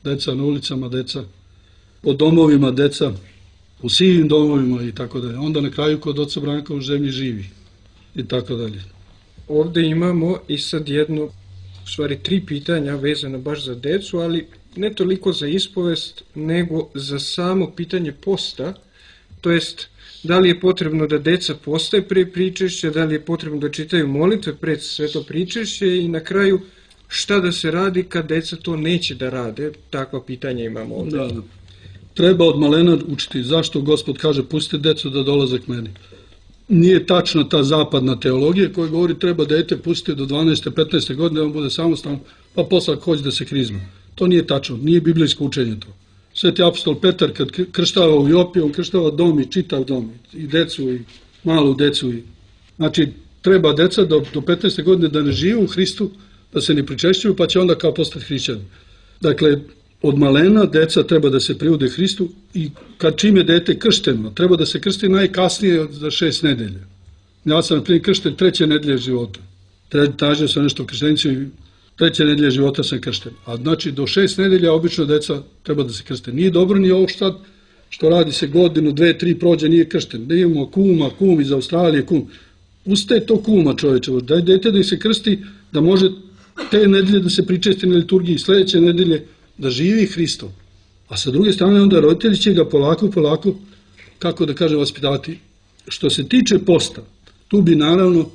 Deca na ulicama, deca po domovima, deca u sivim domovima i tako dalje. Onda na kraju kod oca Branka u zemlji živi i tako dalje. Ovde imamo i sad jedno, u stvari tri pitanja vezano baš za decu, ali ne toliko za ispovest, nego za samo pitanje posta, to jest da li je potrebno da deca postaje pre pričešća, da li je potrebno da čitaju molitve pred sveto pričešće i na kraju šta da se radi kad deca to neće da rade, takva pitanja imamo ovde. Da, da. Treba od malena učiti zašto Gospod kaže pustite decu da dolaze k meni. Nije tačna ta zapadna teologija koja govori treba dete pustiti do dvanaeste petnaeste godine da on bude samostalno, pa posle ako hoće da se krizma. To nije tačno, nije biblijsko učenje to. Sveti apostol Petar kad krštava u Jopi, on krštava dom i čitav dom, i decu i malu decu. I... Znači, treba deca do, do petnaeste godine da ne žive u Hristu, da se ne pričešćuju, pa će onda kao postati hrišćani. Dakle, od malena deca treba da se privude Hristu i kad čim je dete kršteno, treba da se krsti najkasnije za šest nedelja. Ja sam prije kršten treće nedelje života. Tražio sam nešto krštenicu i treće nedelje života sam kršten. A znači do šest nedelja obično deca treba da se krste. Nije dobro ni ovo što, što radi se godinu, dve, tri prođe, nije kršten. Da imamo kuma, kum iz Australije, kum. Ustaje to kuma čovječe, daj dete da se krsti, da može te nedelje da se pričesti na liturgiji, sledeće nedelje da živi Hristom. A sa druge strane onda roditelji će ga polako, polako, kako da kažem, vaspitati. Što se tiče posta, tu bi naravno,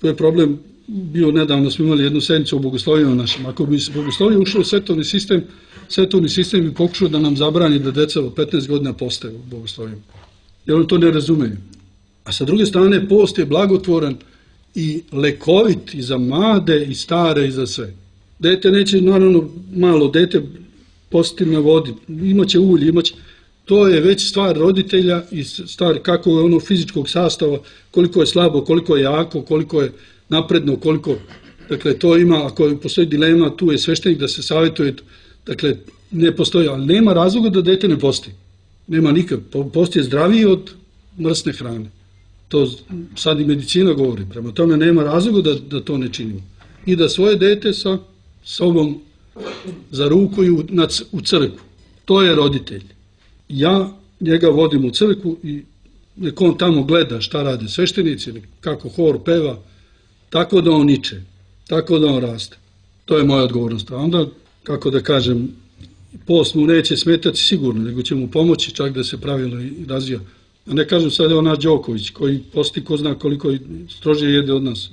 to je problem, bio nedavno smo imali jednu sednicu o bogoslovima našem. Ako bi se bogoslovije ušlo u svetovni sistem, svetovni sistem bi pokušao da nam zabrani da deca od petnaest godina postaju u bogoslovima. Jer oni to ne razumeju. A sa druge strane, post je blagotvoran i lekovit i za mlade i stare i za sve. Dete neće, naravno, malo dete postiti na vodi, imaće ulje, imaće... To je već stvar roditelja i stvar kako je ono fizičkog sastava, koliko je slabo, koliko je jako, koliko je napredno, koliko... Dakle, to ima, ako postoji dilema, tu je sveštenik da se savjetuje, dakle, ne postoji, ali nema razloga da dete ne posti. Nema nikak, post je zdraviji od mrsne hrane. To sad i medicina govori, prema tome nema razloga da, da to ne činimo. I da svoje dete sa sobom zarukuju u crkvu. To je roditelj. Ja njega vodim u crkvu i nek on tamo gleda šta rade sveštenici, kako hor peva, tako da on niče, tako da on raste. To je moja odgovornost. A onda, kako da kažem, post mu neće smetati sigurno, nego će mu pomoći čak da se pravilno razvija. A ne kažem sad ona Đoković, koji posti ko zna koliko strože jede od nas.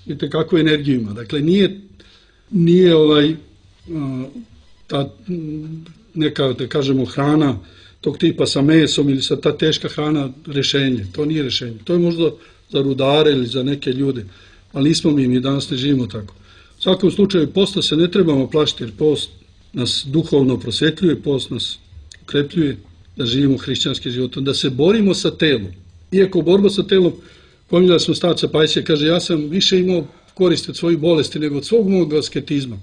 Vidite kakvu energiju ima. Dakle, nije, nije ovaj, ta neka, da kažemo, hrana tog tipa sa mesom ili sa ta teška hrana rešenje. To nije rešenje. To je možda za rudare ili za neke ljude. Ali nismo mi, mi danas ne živimo tako. U svakom slučaju, posta se ne trebamo plašiti, jer post nas duhovno prosvetljuje, post nas ukrepljuje da živimo hrišćanski život, da se borimo sa telom. Iako borba sa telom, pominjali smo starca Pajsija, kaže, ja sam više imao koristi od svojih bolesti nego od svog mog asketizma,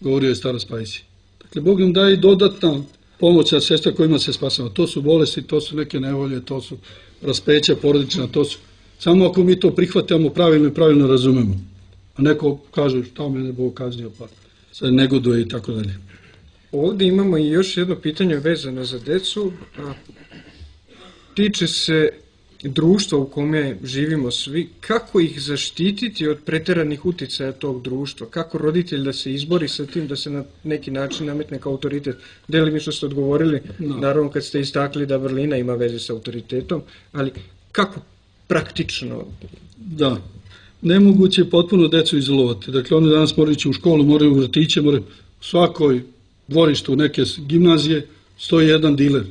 govorio je starac Pajsij. Dakle, Bog nam daje dodatna pomoć na sestra kojima se spasamo. To su bolesti, to su neke nevolje, to su raspeća porodična, to su... Samo ako mi to prihvatamo pravilno i pravilno razumemo. A neko kaže, šta mene Bog kaznio, pa se negoduje i tako dalje. Ovdje imamo i još jedno pitanje vezano za decu. A, tiče se društva u kome živimo svi. Kako ih zaštititi od preteranih uticaja tog društva? Kako roditelj da se izbori sa tim, da se na neki način nametne kao autoritet? Delimično ste odgovorili, no. Naravno kad ste istakli da vrlina ima veze sa autoritetom, ali kako praktično? Da, nemoguće je potpuno decu izolovati. Dakle, oni danas moraju ići u školu, moraju u vrtiće, moraju u svakoj dvorištu neke gimnazije stoji jedan diler.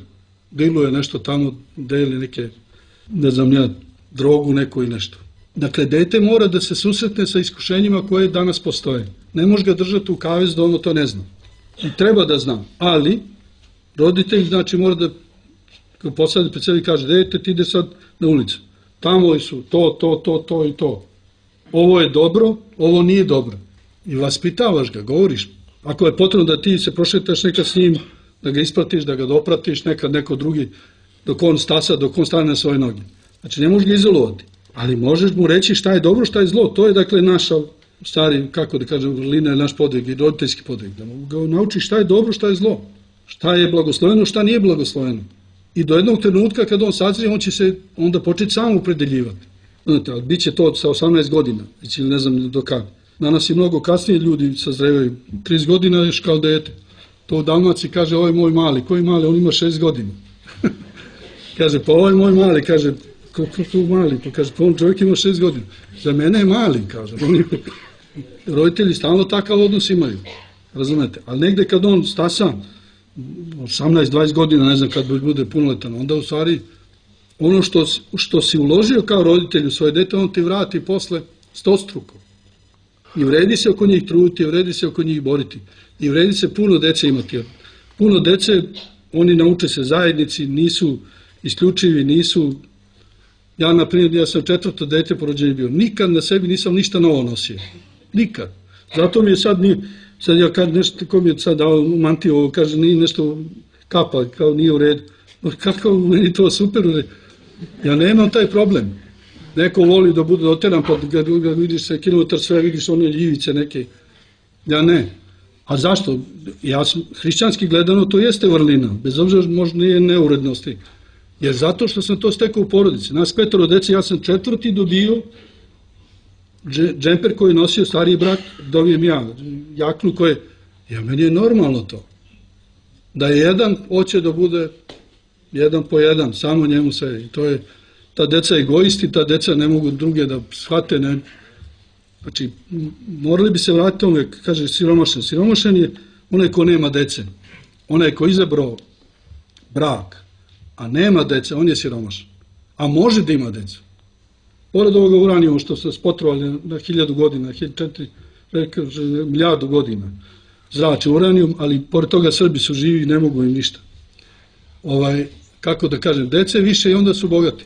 Diluje nešto tamo, deli neke, ne znam ja, drogu neku i nešto. Dakle, dete mora da se susretne sa iskušenjima koje danas postoje. Ne može ga držati u kavez da ono to ne zna. I treba da zna, ali roditelj znači mora da posadi pred sebi i kaže, dete, ti ide sad na ulicu. Tamo su to, to, to, to i to. Ovo je dobro, ovo nije dobro. I vaspitavaš ga, govoriš. Ako je potrebno da ti se prošetaš nekad s njim, da ga ispratiš, da ga dopratiš, nekad neko drugi, dok on stasa, dok on stane na svoje noge. Znači, ne možeš ga izolovati, ali možeš mu reći šta je dobro, šta je zlo. To je, dakle, naša, stari, kako da kažem, vrlina je naš podvig i roditeljski podvig. Da mu ga nauči šta je dobro, šta je zlo. Šta je blagosloveno, šta nije blagosloveno. I do jednog trenutka kad on sazrije, on će se onda početi sam upredeljivati. Znate, ali bit će to sa osamnaest godina, ili ne znam do kada. Danas i mnogo kasnije ljudi sazrevaju. trideset godina još kao dete. To u Dalmaciji kaže, ovo je moj mali. Koji mali? On ima šest godina. Kaže, pa ovo je moj mali. Kaže, kako to mali? Pa kaže, pa on čovjek ima šest godina. Za mene je mali, kaže. Oni, roditelji stalno takav odnos imaju. Razumete? Ali negde kad on stasa, osamnaest dvadeset godina, ne znam kad bude punoletan, onda u stvari ono što, što si uložio kao roditelj u svoje dete, on ti vrati posle stostruko. I vredi se oko njih truditi, vredi se oko njih boriti. I vredi se puno dece imati. Puno dece, oni nauče se zajednici, nisu isključivi, nisu... Ja, na primjer, ja sam četvrto dete po rođenju bio. Nikad na sebi nisam ništa novo nosio. Nikad. Zato mi je sad, nije, sad ja kažem nešto, ko mi je sad dao mantiju, kaže, nije nešto kapa, kao nije u redu. Kako meni to super u redu? Ja nemam taj problem. Neko voli da bude oteran, pa ga vidiš se kilometar sve, vidiš one ljivice neke. Ja ne. A zašto? Ja sam, hrišćanski gledano, to jeste vrlina. Bez obzira možda nije neurednosti. Jer zato što sam to stekao u porodici. Nas petoro dece, ja sam četvrti dobio džemper koji je nosio stariji brat, dobijem ja. Jaknu koje, ja, meni je normalno to. Da je jedan, hoće da bude jedan po jedan, samo njemu sve. I to je, ta deca egoisti, ta deca ne mogu druge da shvate. Ne. Znači, morali bi se vratiti ome, kaže siromašan. Siromašan je onaj ko nema dece. Onaj ko izabrao brak, a nema dece, on je siromašan. A može da ima decu. Pored ovoga uranijuma što se spotrovali na hiljadu godina, milijardu godina, zrači uranijum, ali pored toga Srbi su živi i ne mogu im ništa. Ovaj, kako da kažem, dece više i onda su bogati.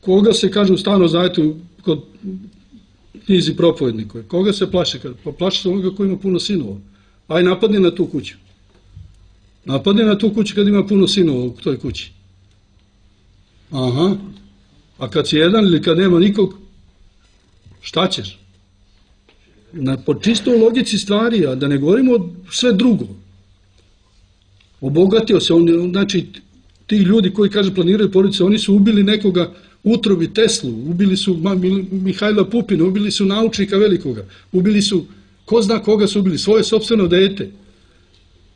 Koga se, kaže u Starom Zavetu, kod knjizi propovednikove, koga se plaše? Pa plaše se onoga koji ima puno sinova. Aj napadni na tu kuću. Napadni na tu kuću kad ima puno sinova u toj kući. Aha. A kad si jedan ili kad nema nikog, šta ćeš? Na, po čistoj logici stvari, a da ne govorimo sve drugo. Obogatio se, on, znači ti ljudi koji, kaže, planiraju porodice, oni su ubili nekoga, utrobi Teslu, ubili su Mihajla Pupina, ubili su naučnika velikoga, ubili su, ko zna koga su ubili, svoje sopstveno dete.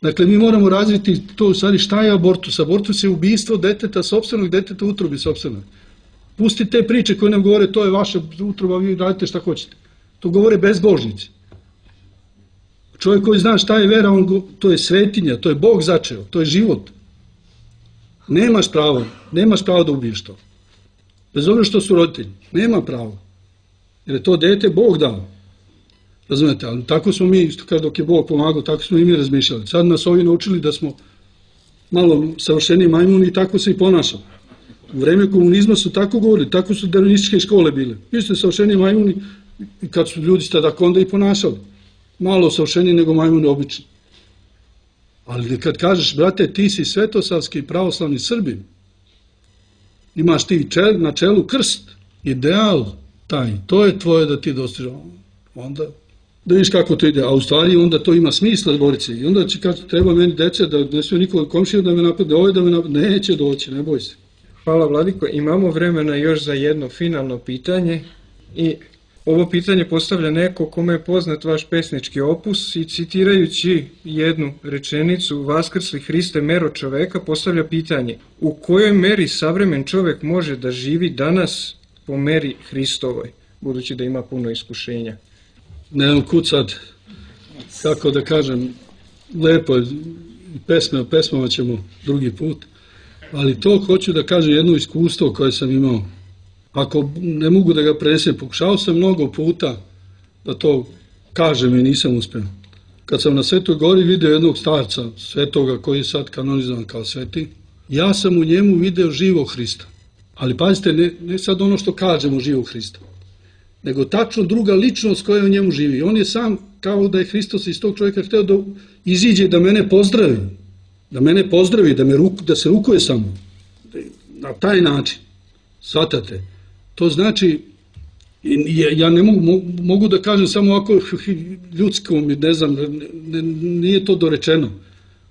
Dakle, mi moramo razviti to, u stvari, šta je abortus? Abortus je ubistvo deteta, sopstvenog deteta, utrobi sopstvenog. Pusti te priče koje nam govore, to je vaša utroba, vi radite šta hoćete. To govore bezbožnici. Čovjek koji zna šta je vera, on, to je svetinja, to je Bog začeo, to je život. Nemaš pravo, nemaš pravo da ubiješ to. Bez obzira što su roditelji, nema pravo. Jer je to dete Bog dao. Razumete, ali tako smo mi, što kaže, dok je Bog pomagao, tako smo i mi razmišljali. Sad nas ovi naučili da smo malo savršeniji majmuni i tako se i ponašamo. U vreme komunizma su tako govorili, tako su darwinističke škole bile. Vi ste savršeniji majmuni i kad su ljudi ste tako onda i ponašali. Malo savršeniji nego majmuni obični. Ali kad kažeš, brate, ti si svetosavski pravoslavni Srbin, imaš ti čel, na čelu krst, ideal taj, to je tvoje da ti dostiže. Onda, da vidiš kako to ide, a u stvari onda to ima smisla boriti se. I onda će kad treba meni dece, da ne smije nikoga komšija da me napadne, ovaj da me napadne, neće doći, ne boj se. Hvala, Vladiko. Imamo vremena još za jedno finalno pitanje i ovo pitanje postavlja neko kome je poznat vaš pesnički opus i citirajući jednu rečenicu Vaskrsli Hriste, mero čoveka, postavlja pitanje: u kojoj meri savremen čovek može da živi danas po meri Hristovoj, budući da ima puno iskušenja? Ne znam kud sad, kako da kažem, lepo je, pesme o pesmama ćemo drugi put, ali to hoću da kažem jedno iskustvo koje sam imao. Ako ne mogu da ga prenesem, pokušao sam mnogo puta da to kažem i nisam uspeo. Kad sam na Svetoj gori video jednog starca, svetoga koji je sad kanonizovan kao sveti, ja sam u njemu video živog Hrista. Ali pazite, ne, ne sad ono što kažemo živog Hrista, nego tačno druga ličnost koja u njemu živi. On je sam, kao da je Hristos iz tog čovjeka hteo da iziđe i da mene pozdravi. Da mene pozdravi, da, me ruk, da se rukuje sa mnom. Na taj način. Svatate. To znači, ja ne mogu, mogu da kažem samo ovako ljudskom, ne znam, ne, nije to dorečeno.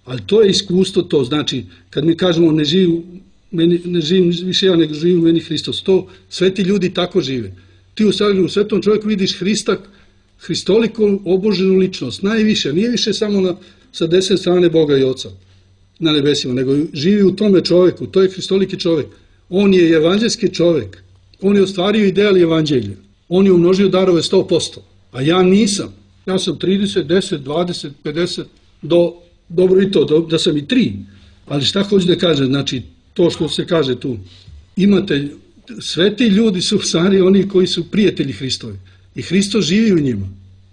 Ali to je iskustvo to. Znači, kad mi kažemo ne živim, meni, ne živim više ja, nego živim u meni Hristos. To sveti ljudi tako žive. Ti u, u svetom čovjeku vidiš Hrista, Hristoliku oboženu ličnost. Najviše, nije više samo na, sa desne strane Boga i Oca na nebesima, nego živi u tome čovjeku. To je Hristoliki čovjek. On je evanđelski čovjek. On je ostvario ideal evanđelja. On je umnožio darove sto posto. A ja nisam. Ja sam trideset, deset, dvadeset, pedeset, do, dobro i to, do, da sam i tri. Ali šta hoću da kažem? Znači, to što se kaže tu. Imate, sveti ljudi su u stvari oni koji su prijatelji Hristovi. I Hristos živi u njima.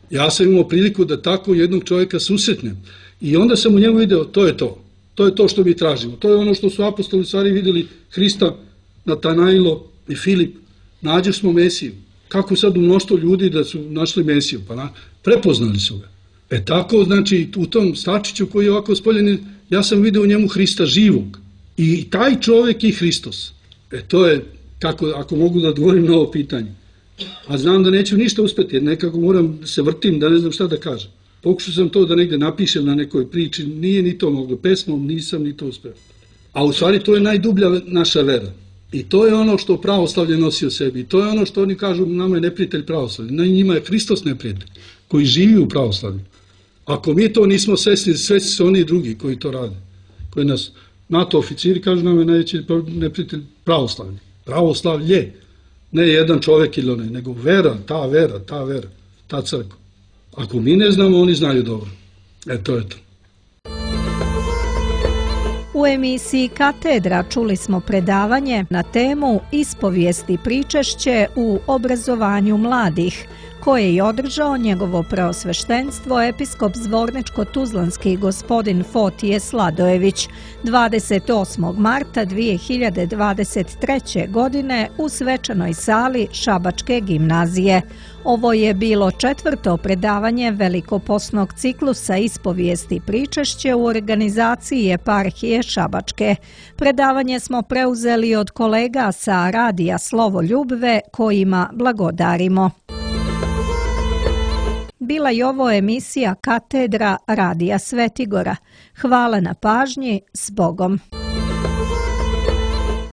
Ja sam imao priliku da tako jednog čovjeka susretnem. I onda sam u njemu video, to je to. To je to što mi tražimo. To je ono što su apostoli stvari vidjeli Hrista, Natanailo i Filip. Nađe smo Mesiju. Kako sad u mnoštvo ljudi da su našli Mesiju? Pa na, prepoznali su ga. E tako, znači, u tom stačiću koji je ovako spoljen, ja sam vidio u njemu Hrista živog. I taj čovjek i Hristos. E to je, kako, ako mogu da odgovorim na ovo pitanje. A znam da neću ništa uspjeti, jer nekako moram da se vrtim, da ne znam šta da kažem. Pokušao sam to da negde napišem na nekoj priči, nije ni to moglo, pesmom nisam ni to uspeo. A u stvari to je najdublja naša vera. I to je ono što pravoslavlje nosi u sebi. I to je ono što oni kažu, nama je neprijatelj pravoslavlje. Na njima je Hristos neprijatelj, koji živi u pravoslavlju. Ako mi to nismo svesni, svesni su oni drugi koji to rade. Koji nas, NATO oficiri kažu, nama je najveći neprijatelj pravoslavlje. Pravoslavlje. Ne jedan čovjek ili onaj, nego vera, ta vera, ta vera, ta crkva. Ako mi ne znamo, oni znaju dobro. E to je to. U emisiji Katedra čuli smo predavanje na temu Ispovijesti pričešće u obrazovanju mladih, koje je održao njegovo preosveštenstvo episkop Zvorničko-tuzlanski gospodin Fotije Sladojević dvadeset osmog marta dvije hiljade dvadeset treće. godine u svečanoj sali Šabačke gimnazije. Ovo je bilo četvrto predavanje velikoposnog ciklusa Ispovijesti pričešće u organizaciji Eparhije Šabačke. Predavanje smo preuzeli od kolega sa radija Slovo Ljubve, kojima blagodarimo. Bila je ovo emisija Katedra radija Svetigora. Hvala na pažnji, s Bogom.